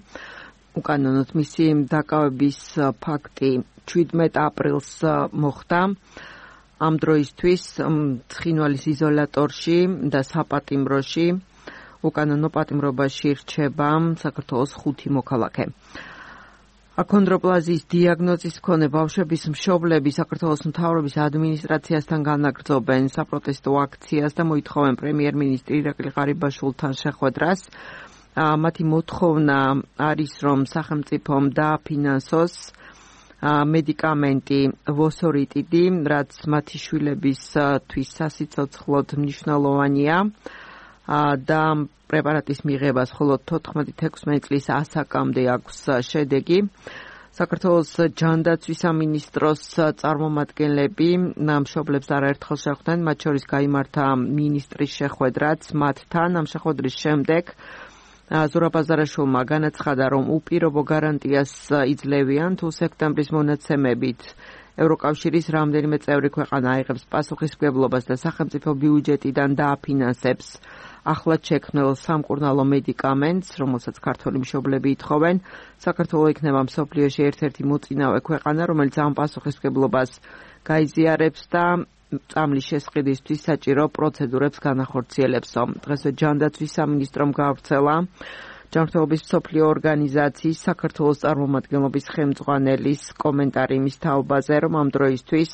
უკანონოდ მისი დაკავების ფაქტი შვიდმეტ აპრილს მოხდა. ამ დროისთვის ცხინვალის იზოლატორში და საპატიმროში უკანონო პატიმრობაში რჩება საქართველოს ხუთი მოქალაქე. აქონდროპლაზიის დიაგნოზის მქონე ბავშვების მშობლები საქართველოს მთავრობის ადმინისტრაციასთან განაგრძობენ საპროტესტო აქციას და მოითხოვენ პრემიერ-მინისტრი ირაკლი ღარიბაშვილთან შეხვედრას. მათი მოთხოვნა არის, რომ სახელმწიფომ დააფინანსოს მედიკამენტი ვოსორიტიდი, რაც მათი შვილებისთვის სასიცოცხლოდ მნიშვნელოვანია და პრეპარატის მიღებას მხოლოდ თოთხმეტი ექვსმეტი წლის ასაკამდე აქვს შედეგი. საქართველოს ჯანდაცვის სამინისტროს წარმომადგენლები მშობლებს არაერთხელ შეხვდნენ, მათ შორის გაიმართა მინისტრის შეხვედრაც მათთან. ამ შეხვედრის შემდეგ ზურაბ აზარაშვილმა განაცხადა, რომ უპირობო გარანტიას იძლევიან, თუ სექტემბრის მონაცემებით ევროკავშირის რამდენიმე წევრი ქვეყანა აიღებს პასუხისმგებლობას და სახელმწიფო ბიუჯეტიდან დააფინანსებს ახლად შექმნილ სამკურნალო მედიკამენტს, რომელსაც ქართველი მშობლები ითხოვენ. საქართველო იქნება მსოფლიოში ერთ-ერთი მოწინავე ქვეყანა, რომელიც ამ პასუხისმგებლობას გაიზიარებს და წამლის შესყიდვისთვის საჭირო პროცედურებს განახორციელებსო. დღესვე ჯანდაცვის სამინისტრომ გაავრცელა ჯანმრთელობის მსოფლიო ორგანიზაციის საქართველოს წარმომადგენლობის ხელმძღვანელის კომენტარი იმის თაობაზე, რომ ამ დროისთვის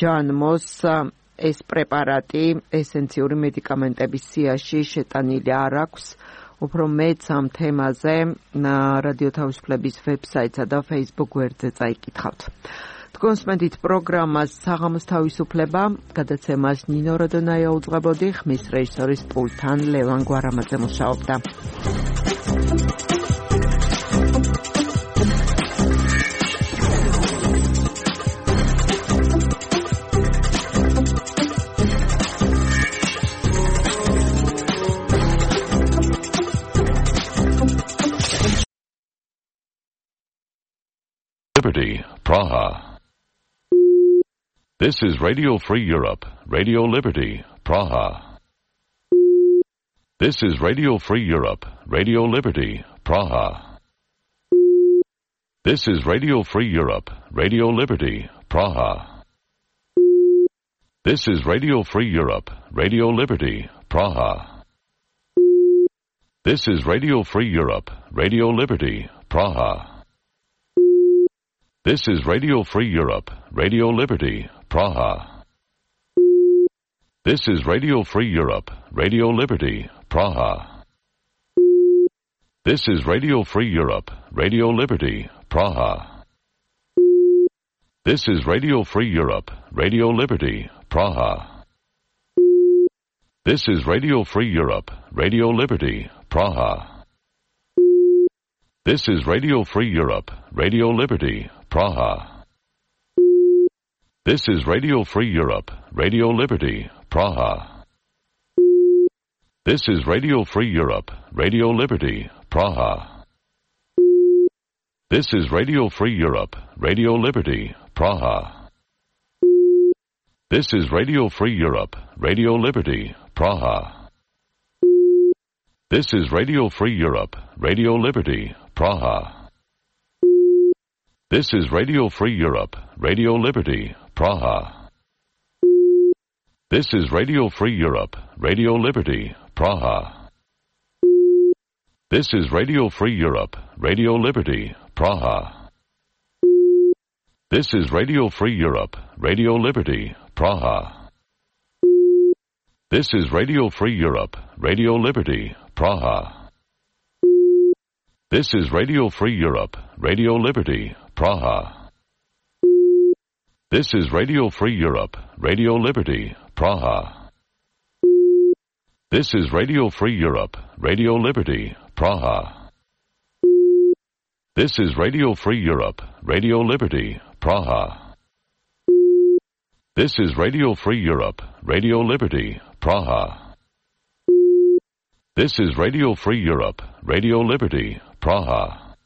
ჯანმოს ეს პრეპარატი ესენციური მედიკამენტების სიაში შეტანილი არ აქვს. უფრო მეც ამ თემაზე რადიო თავისუფლების ვებსაიტსა და Facebook გვერდზე წაიკითხავთ. თქვენსმენთ პროგრამას საღამოს თავისუფლება, გადაცემას ნინო როდონაია უძღვებოდი, ხმის რეჟისორის პულტთან ლევან გვარამაძე მუშაობდა. Liberty, Praha. This is Radio Free Europe, Radio Liberty, Praha. This is Radio Free Europe, Radio Liberty, Praha. This is Radio Free Europe, Radio Liberty, Praha. This is Radio Free Europe, Radio Liberty, Praha. This is Radio Free Europe, Radio Liberty, Praha. This is Radio Free Europe, Radio Liberty, Praha. This is Radio Free Europe, Radio Liberty, Praha. This is Radio Free Europe, Radio Liberty, Praha. This is Radio Free Europe, Radio Liberty, Praha. This is Radio Free Europe, Radio Liberty, Praha. This is Radio Free Europe, Radio Liberty, Praha. This is Radio Free Europe, Radio Liberty, Praha. This is Radio Free Europe, Radio Liberty, Praha. This is Radio Free Europe, Radio Liberty, Praha. This is Radio Free Europe, Radio Liberty, Praha. This is Radio Free Europe, Radio Liberty, Praha. This is Radio Free Europe, Radio Liberty, Praha. This is Radio Free Europe, Radio Liberty, Praha. This is Radio Free Europe, Radio Liberty, Praha. This is Radio Free Europe, Radio Liberty, Praha. This is Radio Free Europe, Radio Liberty, Praha. This is Radio Free Europe, Radio Liberty, Praha. This is Radio Free Europe, Radio Liberty, Praha. This is Radio Free Europe, Radio Liberty, Praha. This is Radio Free Europe, Radio Liberty, Praha. This is Radio Free Europe, Radio Liberty, Praha. This is Radio Free Europe, Radio Liberty, Praha.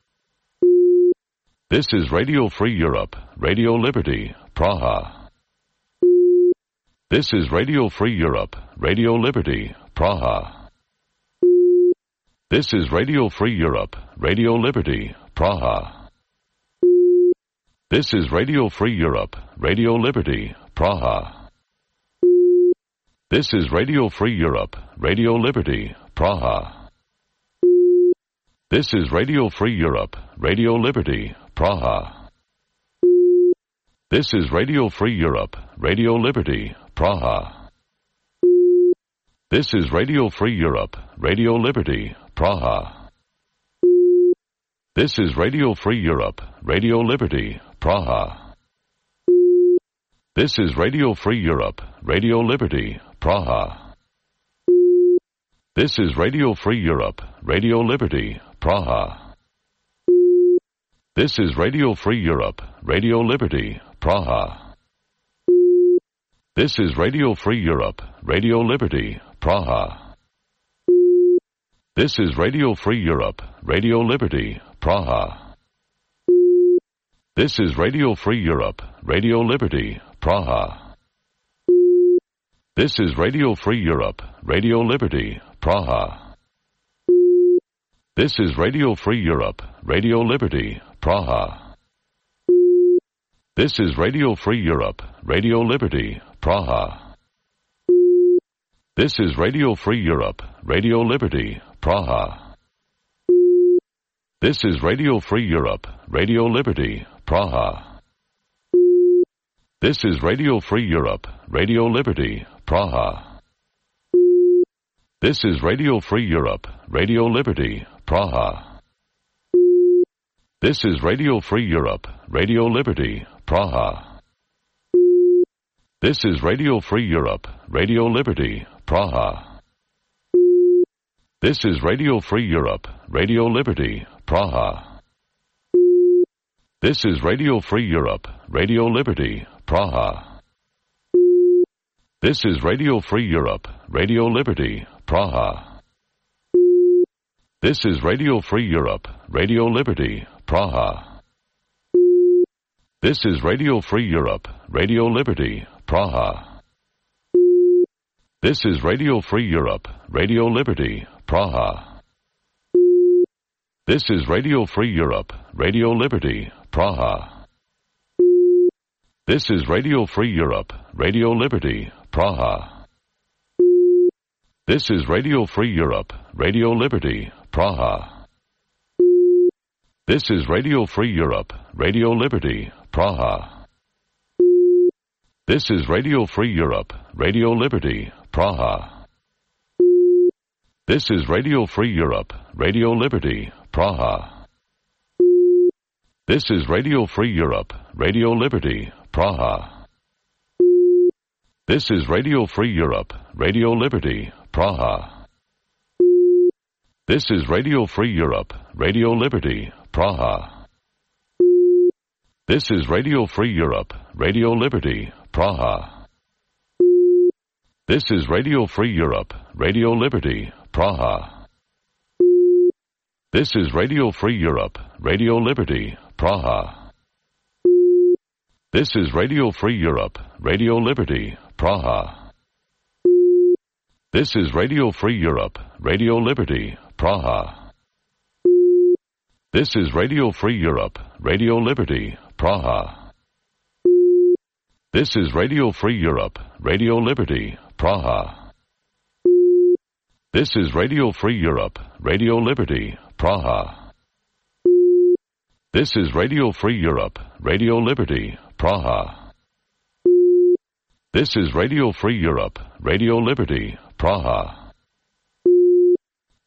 This is Radio Free Europe, Radio Liberty, Praha. This is Radio Free Europe, Radio Liberty, Praha. This is Radio Free Europe, Radio Liberty, Praha. This is Radio Free Europe, Radio Liberty, Praha. This is Radio Free Europe, Radio Liberty, Praha. This is Radio Free Europe, Radio Liberty, Praha. This is Radio Free Europe, Radio Liberty, Praha. This is Radio Free Europe, Radio Liberty, Praha. This is Radio Free Europe, Radio Liberty, Praha. This is Radio Free Europe, Radio Liberty, Praha. This is Radio Free Europe, Radio Liberty, Praha. This is Radio Free Europe, Radio Liberty, Praha. This is Radio Free Europe, Radio Liberty, Praha. This is Radio Free Europe, Radio Liberty, Praha. This is Radio Free Europe, Radio Liberty, Praha. This is Radio Free Europe, Radio Liberty, Praha. This is Radio Free Europe, Radio Liberty, Praha. This is Radio Free Europe, Radio Liberty, Praha. This is Radio Free Europe, Radio Liberty, Praha. This is Radio Free Europe, Radio Liberty, Praha. This is Radio Free Europe, Radio Liberty, Praha. This is Radio Free Europe, Radio Liberty, Praha. This is Radio Free Europe, Radio Liberty, Praha. This is Radio Free Europe, Radio Liberty, Praha. This is Radio Free Europe, Radio Liberty, Praha. This is Radio Free Europe, Radio Liberty, Praha. This is Radio Free Europe, Radio Liberty, Praha. This is Radio Free Europe, Radio Liberty, Praha. This is Radio Free Europe, Radio Liberty, Praha. This is Radio Free Europe, Radio Liberty, Praha. This is Radio Free Europe, Radio Liberty, Praha. This is Radio Free Europe, Radio Liberty, Praha. This is Radio Free Europe, Radio Liberty, Praha. This is Radio Free Europe, Radio Liberty, Praha. This is Radio Free Europe, Radio Liberty, Praha. This is Radio Free Europe, Radio Liberty, Praha. This is Radio Free Europe, Radio Liberty, Praha. This is Radio Free Europe, Radio Liberty, Praha. This is Radio Free Europe, Radio Liberty, Praha. This is Radio Free Europe, Radio Liberty, Praha. This is Radio Free Europe, Radio Liberty, Praha. This is Radio Free Europe, Radio Liberty, Praha. This is Radio Free Europe, Radio Liberty, Praha. This is Radio Free Europe, Radio Liberty, Praha. This is Radio Free Europe, Radio Liberty, Praha. This is Radio Free Europe, Radio Liberty, Praha. This is Radio Free Europe, Radio Liberty, Praha. This is Radio Free Europe, Radio Liberty, Praha. This is Radio Free Europe, Radio Liberty, Praha.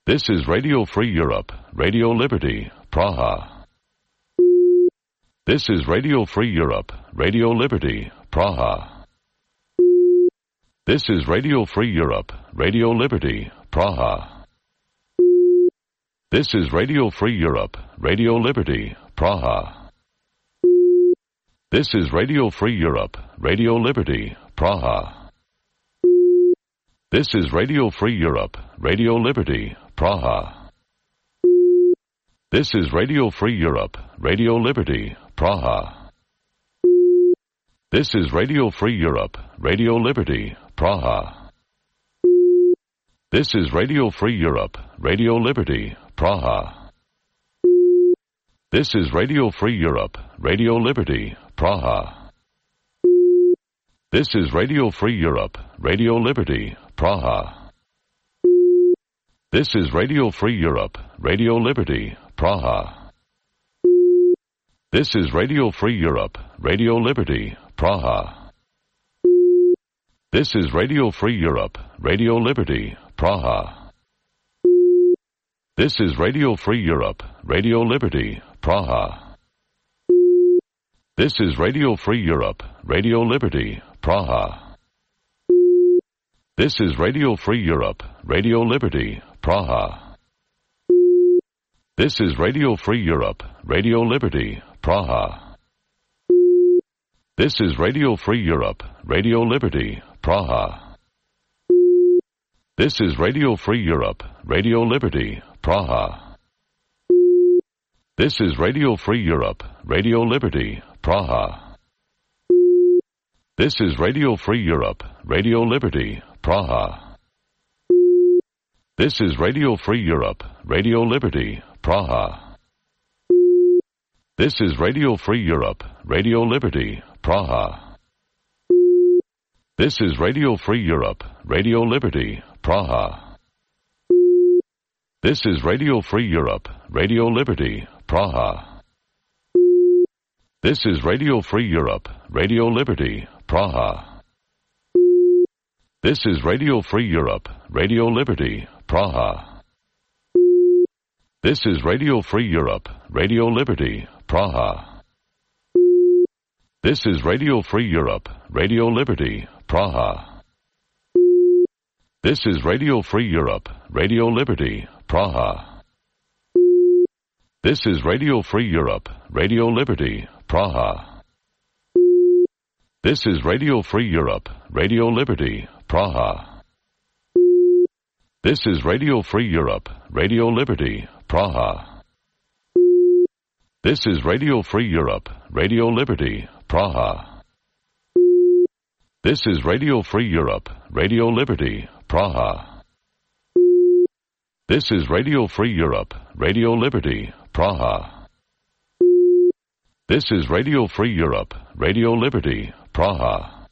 This is Radio Free Europe, Radio Liberty, Praha. This is Radio Free Europe, Radio Liberty, Praha. This is Radio Free Europe, Radio Liberty, Praha. This is Radio Free Europe, Radio Liberty, Praha. This is Radio Free Europe, Radio Liberty, Praha. This is Radio Free Europe, Radio Liberty, Praha. This is Radio Free Europe, Radio Liberty, Praha. This is Radio Free Europe, Radio Liberty, Praha. This is Radio Free Europe, Radio Liberty, Praha. This is Radio Free Europe, Radio Liberty, Praha. This is Radio Free Europe, Radio Liberty, Praha. This is Radio Free Europe, Radio Liberty, Praha. This is Radio Free Europe, Radio Liberty, Praha. This is Radio Free Europe, Radio Liberty, Praha. This is Radio Free Europe, Radio Liberty, Praha. This is Radio Free Europe, Radio Liberty, Praha. This is Radio Free Europe, Radio Liberty, Praha. This is Radio Free Europe, Radio Liberty, Praha. This is Radio Free Europe, Radio Liberty, Praha. This is Radio Free Europe, Radio Liberty, Praha. This is Radio Free Europe, Radio Liberty, Praha. This is Radio Free Europe, Radio Liberty, Praha. This is Radio Free Europe, Radio Liberty, Praha. This is Radio Free Europe, Radio Liberty, Praha. This is Radio Free Europe, Radio Liberty, Praha. This is Radio Free Europe, Radio Liberty, Praha. This is Radio Free Europe, Radio Liberty, Praha. This is Radio Free Europe, Radio Liberty, Praha. This is Radio Free Europe, Radio Liberty, Praha. This is Radio Free Europe, Radio Liberty, Praha. This is Radio Free Europe, Radio Liberty, Praha. This is Radio Free Europe, Radio Liberty, Praha. This is Radio Free Europe, Radio Liberty, Praha. This is Radio Free Europe, Radio Liberty, Praha. This is Radio Free Europe, Radio Liberty, Praha. This is Radio Free Europe, Radio Liberty, Praha. This is Radio Free Europe, Radio Liberty, Praha. This is Radio Free Europe, Radio Liberty, Praha.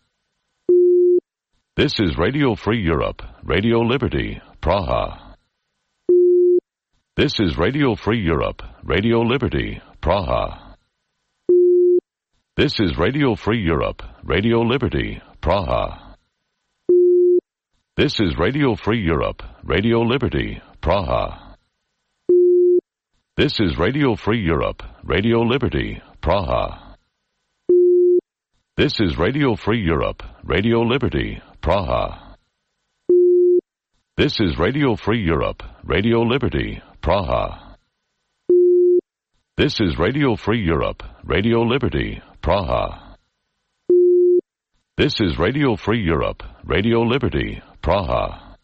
This is Radio Free Europe, Radio Liberty, Praha. This is Radio Free Europe, Radio Liberty, Praha. This is Radio Free Europe, Radio Liberty, Praha. This is Radio Free Europe, Radio Liberty, Praha. This is Radio Free Europe, Radio Liberty, Praha. This is Radio Free Europe, Radio Liberty, Praha. This is Radio Free Europe, Radio Liberty, Praha. This is Radio Free Europe, Radio Liberty, Praha.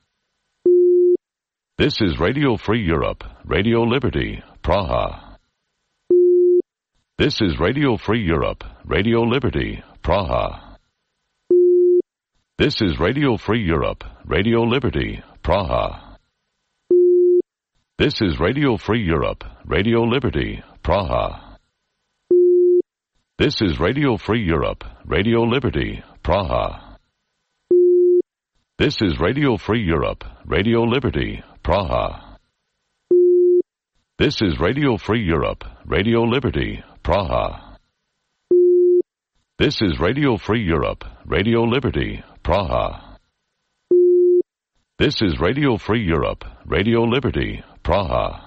This is Radio Free Europe, Radio Liberty, Praha. This is Radio Free Europe, Radio Liberty, Praha. This is Radio Free Europe, Radio Liberty, Praha. This is Radio Free Europe, Radio Liberty, Praha. This is Radio Free Europe, Radio Liberty, Praha. This is Radio Free Europe, Radio Liberty, Praha. This is Radio Free Europe, Radio Liberty, Praha. This is Radio Free Europe, Radio Liberty, Praha. This is Radio Free Europe, Radio Liberty, Praha.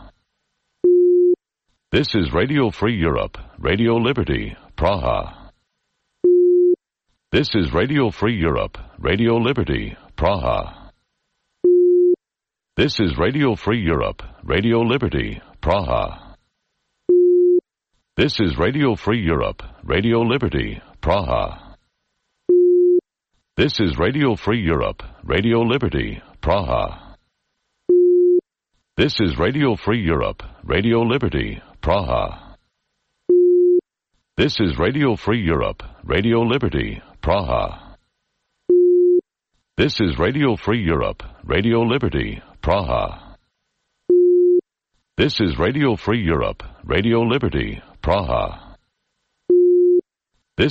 This is Radio Free Europe, Radio Liberty, Praha. This is Radio Free Europe, Radio Liberty, Praha. This is Radio Free Europe, Radio Liberty, Praha. This is Radio Free Europe, Radio Liberty, Praha. This is Radio Free Europe, Radio Liberty, Praha. This is Radio Free Europe, Radio Liberty, Praha. This is Radio Free Europe, Radio Liberty, Praha. This is Radio Free Europe, Radio Liberty, Praha. This is Radio Free Europe, Radio Liberty, Praha.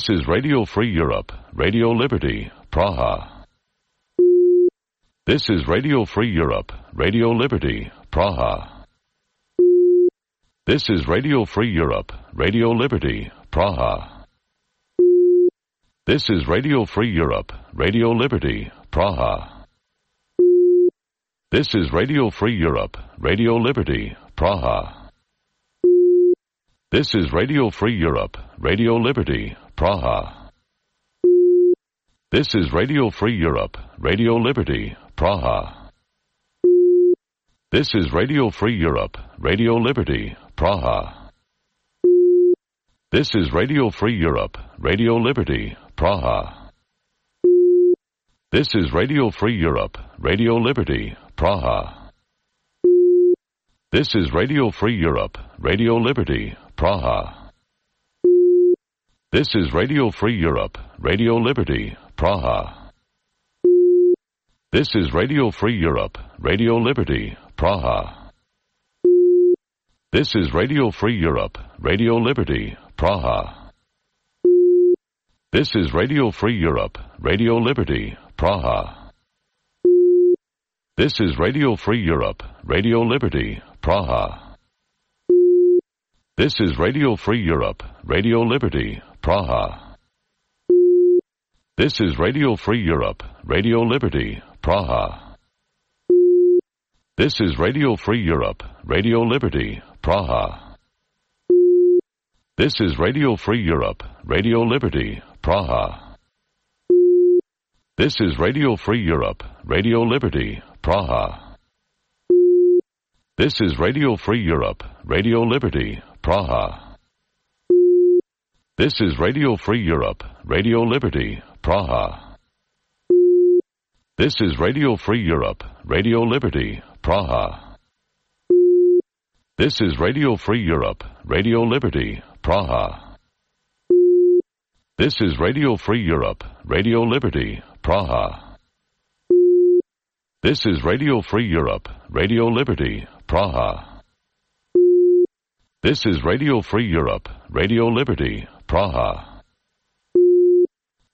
This is Radio Free Europe, Radio Liberty, Praha. This is Radio Free Europe, Radio Liberty, Praha. This is Radio Free Europe, Radio Liberty, Praha. This is Radio Free Europe, Radio Liberty, Praha. This is Radio Free Europe, Radio Liberty, Praha. This is Radio Free Europe, Radio Liberty, Praha. This is Radio Free Europe, Radio Liberty, Praha. This is Radio Free Europe, Radio Liberty, Praha. This is Radio Free Europe, Radio Liberty, Praha. This is Radio Free Europe, Radio Liberty, Praha. This is Radio Free Europe, Radio Liberty, Praha. This is Radio Free Europe, Radio Liberty, Praha. This is Radio Free Europe, Radio Liberty, Praha. This is Radio Free Europe, Radio Liberty, Praha. This is Radio Free Europe, Radio Liberty, Praha. This is Radio Free Europe, Radio Liberty, Praha. This is Radio Free Europe, Radio Liberty, Praha. This is Radio Free Europe, Radio Liberty, Praha. This is Radio Free Europe, Radio Liberty, Praha. This is Radio Free Europe, Radio Liberty, Praha. This is Radio Free Europe, Radio Liberty, Praha. This is Radio Free Europe, Radio Liberty, Praha. This is Radio Free Europe, Radio Liberty, Praha. This is Radio Free Europe, Radio Liberty, Praha. This is Radio Free Europe, Radio Liberty, Praha. This is Radio Free Europe, Radio Liberty, Praha. This is Radio Free Europe, Radio Liberty, Praha. This is Radio Free Europe, Radio Liberty, Praha. This is Radio Free Europe, Radio Liberty, Praha.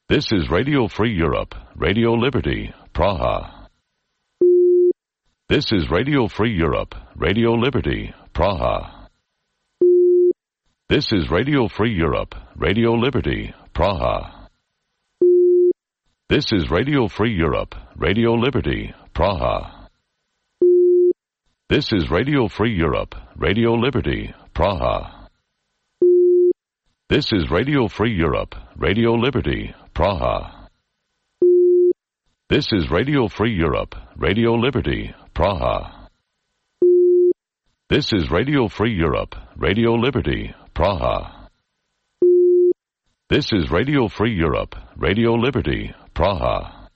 This is Radio Free Europe, Radio Liberty, Praha. This is Radio Free Europe, Radio Liberty, Praha. This is Radio Free Europe, Radio Liberty, Praha. This is Radio Free Europe, Radio Liberty, Praha. This is Radio Free Europe, Radio Liberty, Praha. This is Radio Free Europe, Radio Liberty, Praha. This is Radio Free Europe, Radio Liberty, Praha. This is Radio Free Europe, Radio Liberty, Praha. This is Radio Free Europe, Radio Liberty, Praha.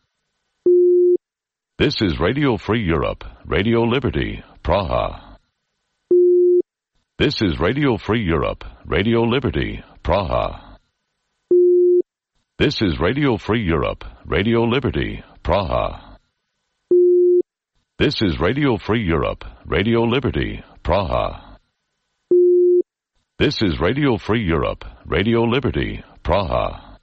This is Radio Free Europe, Radio Liberty, Praha. This is Radio Free Europe, Radio Liberty, Praha. This is Radio Free Europe, Radio Liberty, Praha. This is Radio Free Europe, Radio Liberty, Praha. This is Radio Free Europe, Radio Liberty, Praha.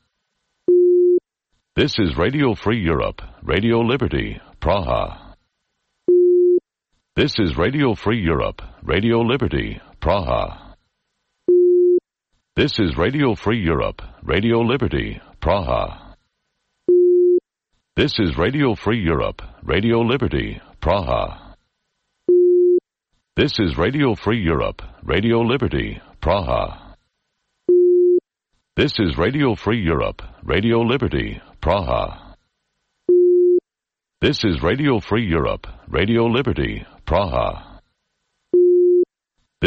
This is Radio Free Europe, Radio Liberty, Praha. This is Radio Free Europe, Radio Liberty, Praha. This is Radio Free Europe, Radio Liberty, Praha. This is Radio Free Europe, Radio Liberty, Praha. This is Radio Free Europe, Radio Liberty, Praha. This is Radio Free Europe, Radio Liberty, Praha. This is Radio Free Europe, Radio Liberty, Praha.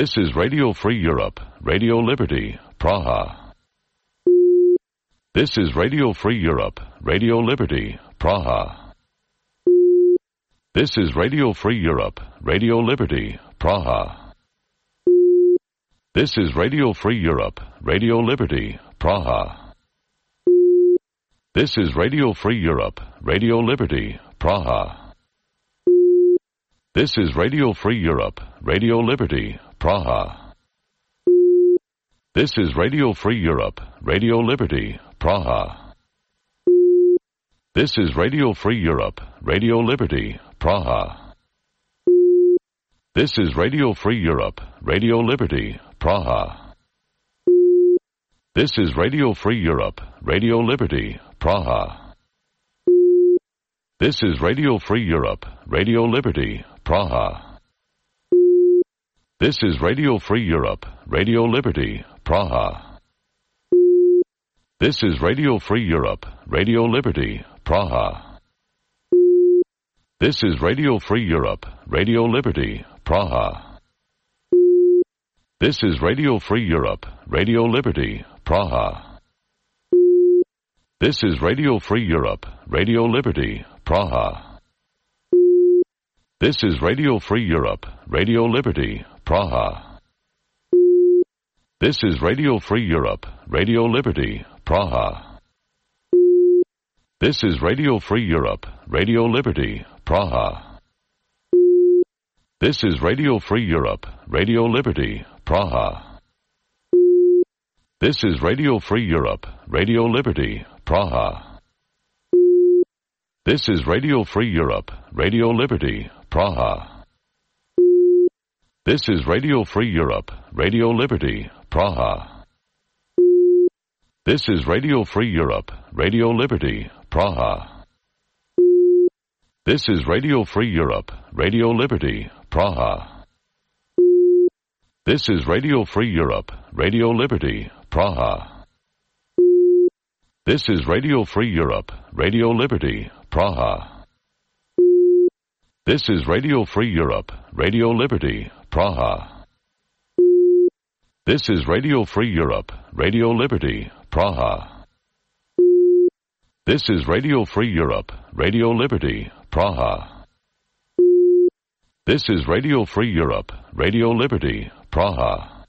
This is Radio Free Europe, Radio Liberty, Praha. This is Radio Free Europe, Radio Liberty, Praha. This is Radio Free Europe, Radio Liberty, Praha. This is Radio Free Europe, Radio Liberty, Praha. This is Radio Free Europe, Radio Liberty, Praha. This is Radio Free Europe, Radio Liberty, Praha. This is Radio Free Europe, Radio Liberty, Praha. This is Radio Free Europe, Radio Liberty, Praha. This is Radio Free Europe, Radio Liberty, Praha. This is Radio Free Europe, Radio Liberty, Praha. This is Radio Free Europe, Radio Liberty, Praha. This is Radio Free Europe, Radio Liberty, Praha. This is Radio Free Europe, Radio Liberty, Praha. This is Radio Free Europe, Radio Liberty, Praha. This is Radio Free Europe, Radio Liberty, Praha. This is Radio Free Europe, Radio Liberty, Praha. This is Radio Free Europe, Radio Liberty, Praha. This is Radio Free Europe, Radio Liberty, Praha. This is Radio Free Europe, Radio Liberty, Praha. This is Radio Free Europe, Radio Liberty, Praha. This is Radio Free Europe, Radio Liberty, Praha. This is Radio Free Europe, Radio Liberty, Praha. This is Radio Free Europe, Radio Liberty, Praha. This is Radio Free Europe, Radio Liberty, Praha. This is Radio Free Europe, Radio Liberty, Praha. This is Radio Free Europe, Radio Liberty, Praha. This is Radio Free Europe, Radio Liberty, Praha. This is Radio Free Europe, Radio Liberty, Praha. This is Radio Free Europe, Radio Liberty, Praha. This is Radio Free Europe, Radio Liberty, Praha. This is Radio Free Europe, Radio Liberty, Praha.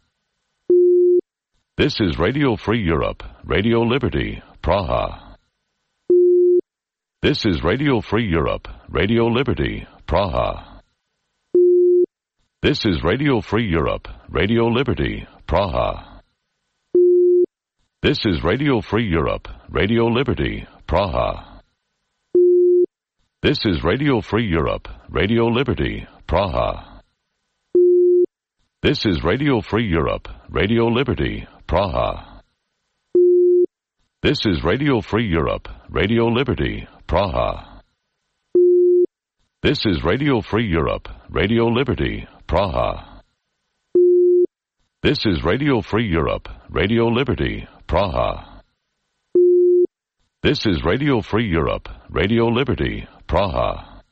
This is Radio Free Europe, Radio Liberty, Praha. This is Radio Free Europe, Radio Liberty, Praha. This is Radio Free Europe, Radio Liberty, Praha. This is Radio Free Europe, Radio Liberty, Praha. This is Radio Free Europe, Radio Liberty, Praha. This is Radio Free Europe, Radio Liberty, Praha. This is Radio Free Europe, Radio Liberty, Praha. This is Radio Free Europe, Radio Liberty, Praha. This is Radio Free Europe, Radio Liberty, Praha. This is Radio Free Europe, Radio Liberty, Praha.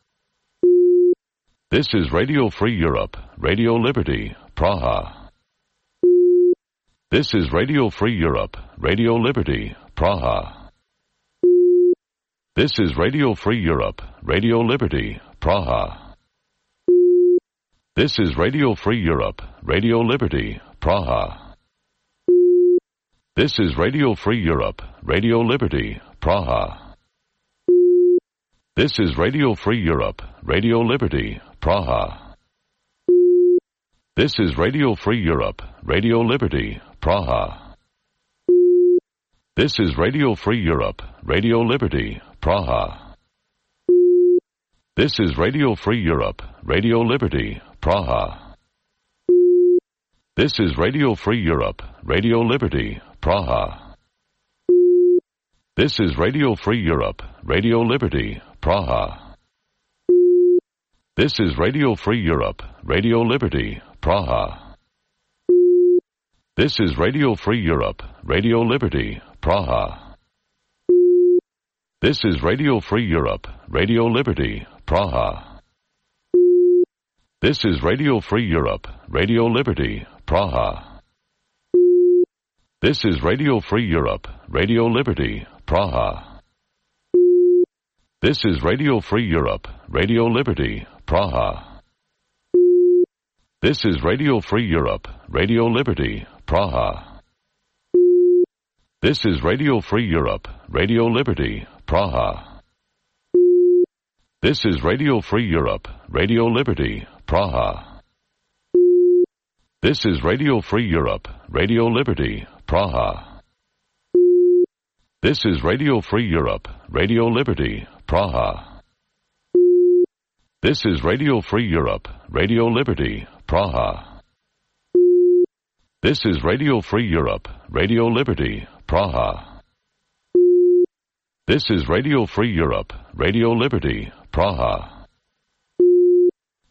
This is Radio Free Europe, Radio Liberty, Praha. This is Radio Free Europe, Radio Liberty, Praha. This is Radio Free Europe, Radio Liberty, Praha. This is Radio Free Europe, Radio Liberty, Praha. This is Radio Free Europe, Radio Liberty, Praha. This is Radio Free Europe, Radio Liberty, Praha. This is Radio Free Europe, Radio Liberty, Praha. This is Radio Free Europe, Radio Liberty, Praha. This is Radio Free Europe, Radio Liberty, Praha. This is Radio Free Europe, Radio Liberty, Praha. This is Radio Free Europe, Radio Liberty, Praha. This is Radio Free Europe, Radio Liberty, Praha. This is Radio Free Europe, Radio Liberty, Praha. This is Radio Free Europe, Radio Liberty, Praha. This is Radio Free Europe, Radio Liberty, Praha. This is Radio Free Europe, Radio Liberty, Praha. This is Radio Free Europe, Radio Liberty, Praha. This is Radio Free Europe, Radio Liberty, Praha. This is Radio Free Europe, Radio Liberty, Praha. This is Radio Free Europe, Radio Liberty, Praha. This is Radio Free Europe, Radio Liberty, Praha. This is Radio Free Europe, Radio Liberty, Praha. This is Radio Free Europe, Radio Liberty, Praha. This is Radio Free Europe, Radio Liberty, Praha. This is Radio Free Europe, Radio Liberty, Praha.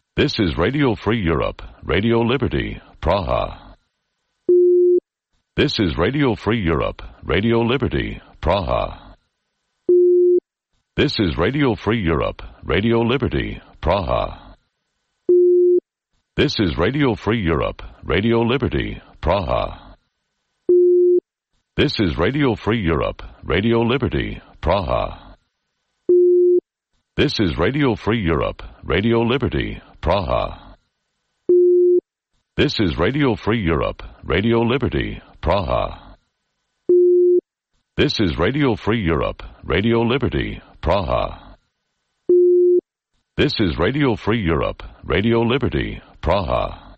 This is Radio Free Europe, Radio Liberty, Praha. This is Radio Free Europe, Radio Liberty, Praha. This is Radio Free Europe, Radio Liberty, Praha. This is Radio Free Europe, Radio Liberty, Praha. This is Radio Free Europe, Radio Liberty, Praha. This is Radio Free Europe, Radio Liberty, Praha. This is Radio Free Europe, Radio Liberty, Praha. This is Radio Free Europe, Radio Liberty, Praha. This is Radio Free Europe, Radio Liberty, Praha.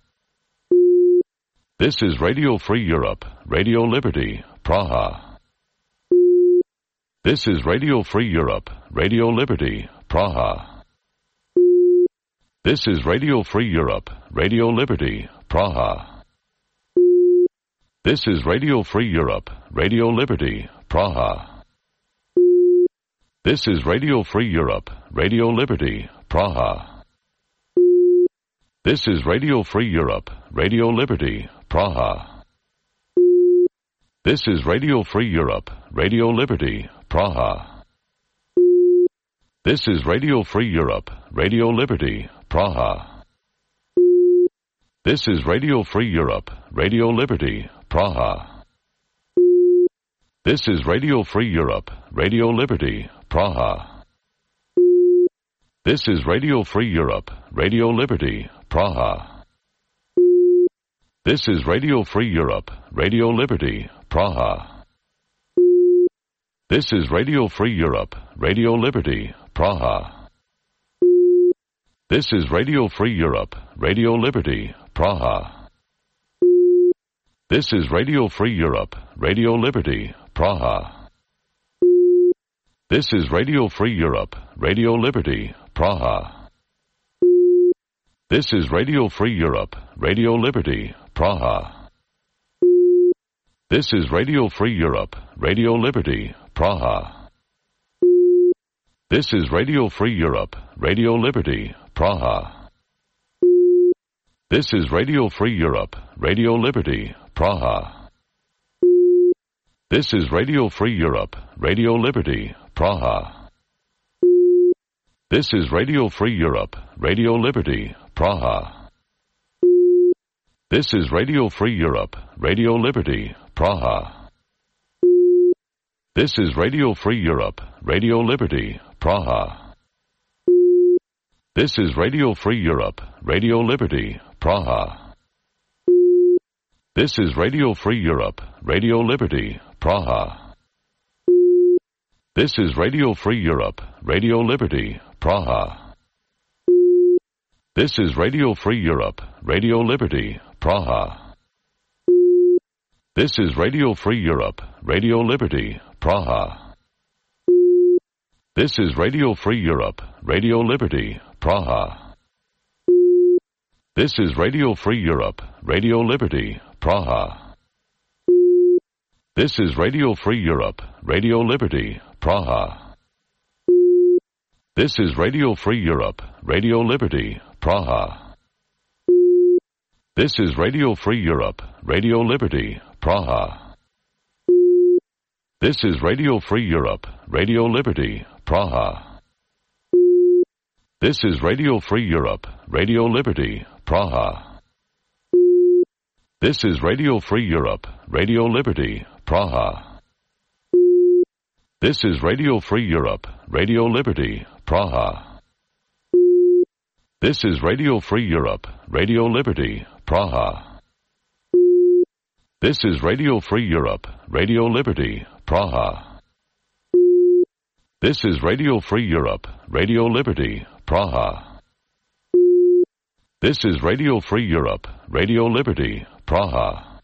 This is Radio Free Europe, Radio Liberty, Praha. This is Radio Free Europe, Radio Liberty, Praha. This is Radio Free Europe, Radio Liberty, Praha. This is Radio Free Europe, Radio Liberty, Praha. This is Radio Free Europe, Radio Liberty, Praha. This is Radio Free Europe, Radio Liberty, Praha. This is Radio Free Europe, Radio Liberty, Praha. This is Radio Free Europe, Radio Liberty, Praha. This is Radio Free Europe, Radio Liberty, Praha. This is Radio Free Europe, Radio Liberty, Praha. This is Radio Free Europe, Radio Liberty, Praha. This is Radio Free Europe, Radio Liberty, Praha. This is Radio Free Europe, Radio Liberty, Praha. This is Radio Free Europe, Radio Liberty, Praha. This is Radio Free Europe, Radio Liberty, Praha. This is Radio Free Europe, Radio Liberty, Praha. This is Radio Free Europe, Radio Liberty, Praha. This is Radio Free Europe, Radio Liberty, Praha. This is Radio Free Europe, Radio Liberty, Praha. This is Radio Free Europe, Radio Liberty, Praha. This is Radio Free Europe, Radio Liberty, Praha. This is Radio Free Europe, Radio Liberty, Praha. This is Radio Free Europe, Radio Liberty, Praha. This is Radio Free Europe, Radio Liberty, Praha. This is Radio Free Europe, Radio Liberty, Praha. This is Radio Free Europe, Radio Liberty, Praha. This is Radio Free Europe, Radio Liberty, Praha. This is Radio Free Europe, Radio Liberty, Praha. This is Radio Free Europe, Radio Liberty, Praha. This is Radio Free Europe, Radio Liberty, Praha. This is Radio Free Europe, Radio Liberty, Praha. This is Radio Free Europe, Radio Liberty, Praha. This is Radio Free Europe, Radio Liberty, Praha. This is Radio Free Europe, Radio Liberty, Praha. This is Radio Free Europe, Radio Liberty, Praha. This is Radio Free Europe, Radio Liberty, Praha. This is Radio Free Europe, Radio Liberty, Praha. This is Radio Free Europe, Radio Liberty, Praha. This is Radio Free Europe, Radio Liberty, Praha. This is Radio Free Europe, Radio Liberty, Praha. This is Radio Free Europe, Radio Liberty, Praha. This is Radio Free Europe, Radio Liberty, Praha.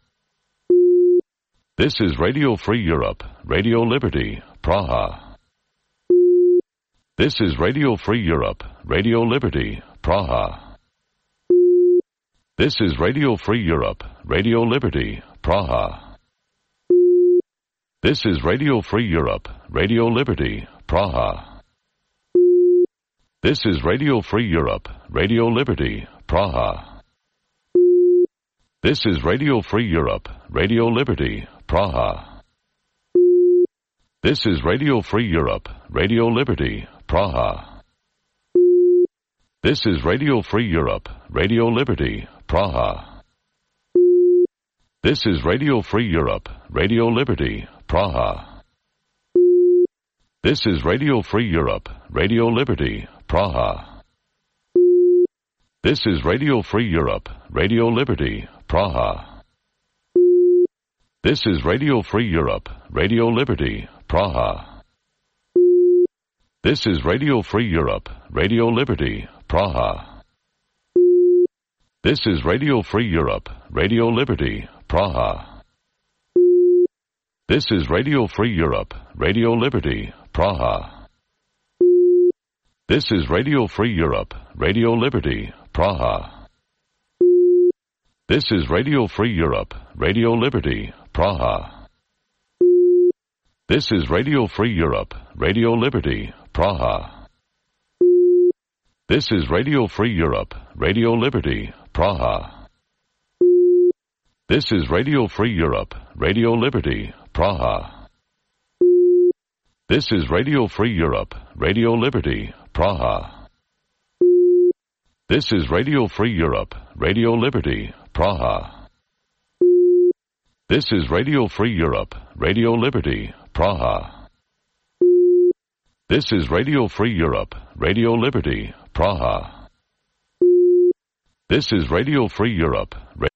This is Radio Free Europe, Radio Liberty, Praha. This is Radio Free Europe, Radio Liberty, Praha. This is Radio Free Europe, Radio Liberty, Praha. This is Radio Free Europe, Radio Liberty, Praha. This is Radio Free Europe, Radio Liberty, Praha. This is Radio Free Europe, Radio Liberty, Praha. This is Radio Free Europe, Radio Liberty, Praha. This is Radio Free Europe, Radio Liberty, Praha. This is Radio Free Europe, Radio Liberty, Praha. This is Radio Free Europe, Radio Liberty, Praha. This is Radio Free Europe, Radio Liberty, Praha. This is Radio Free Europe, Radio Liberty, Praha. This is Radio Free Europe, Radio Liberty, Praha. This is Radio Free Europe, Radio Liberty, Praha. This is Radio Free Europe, Radio Liberty, Praha. This is Radio Free Europe, Radio Liberty, Praha. This is Radio Free Europe, Radio Liberty, Praha. This is Radio Free Europe, Radio Liberty, Praha. This is Radio Free Europe, Radio Liberty, Praha. This is Radio Free Europe, Radio Liberty, Praha. This is Radio Free Europe, Radio Liberty, Praha. This is Radio Free Europe, Radio Liberty, Praha. This is Radio Free Europe, Radio Liberty, Praha. This is Radio Free Europe, Radio Liberty, Praha. This is Radio Free Europe, Radio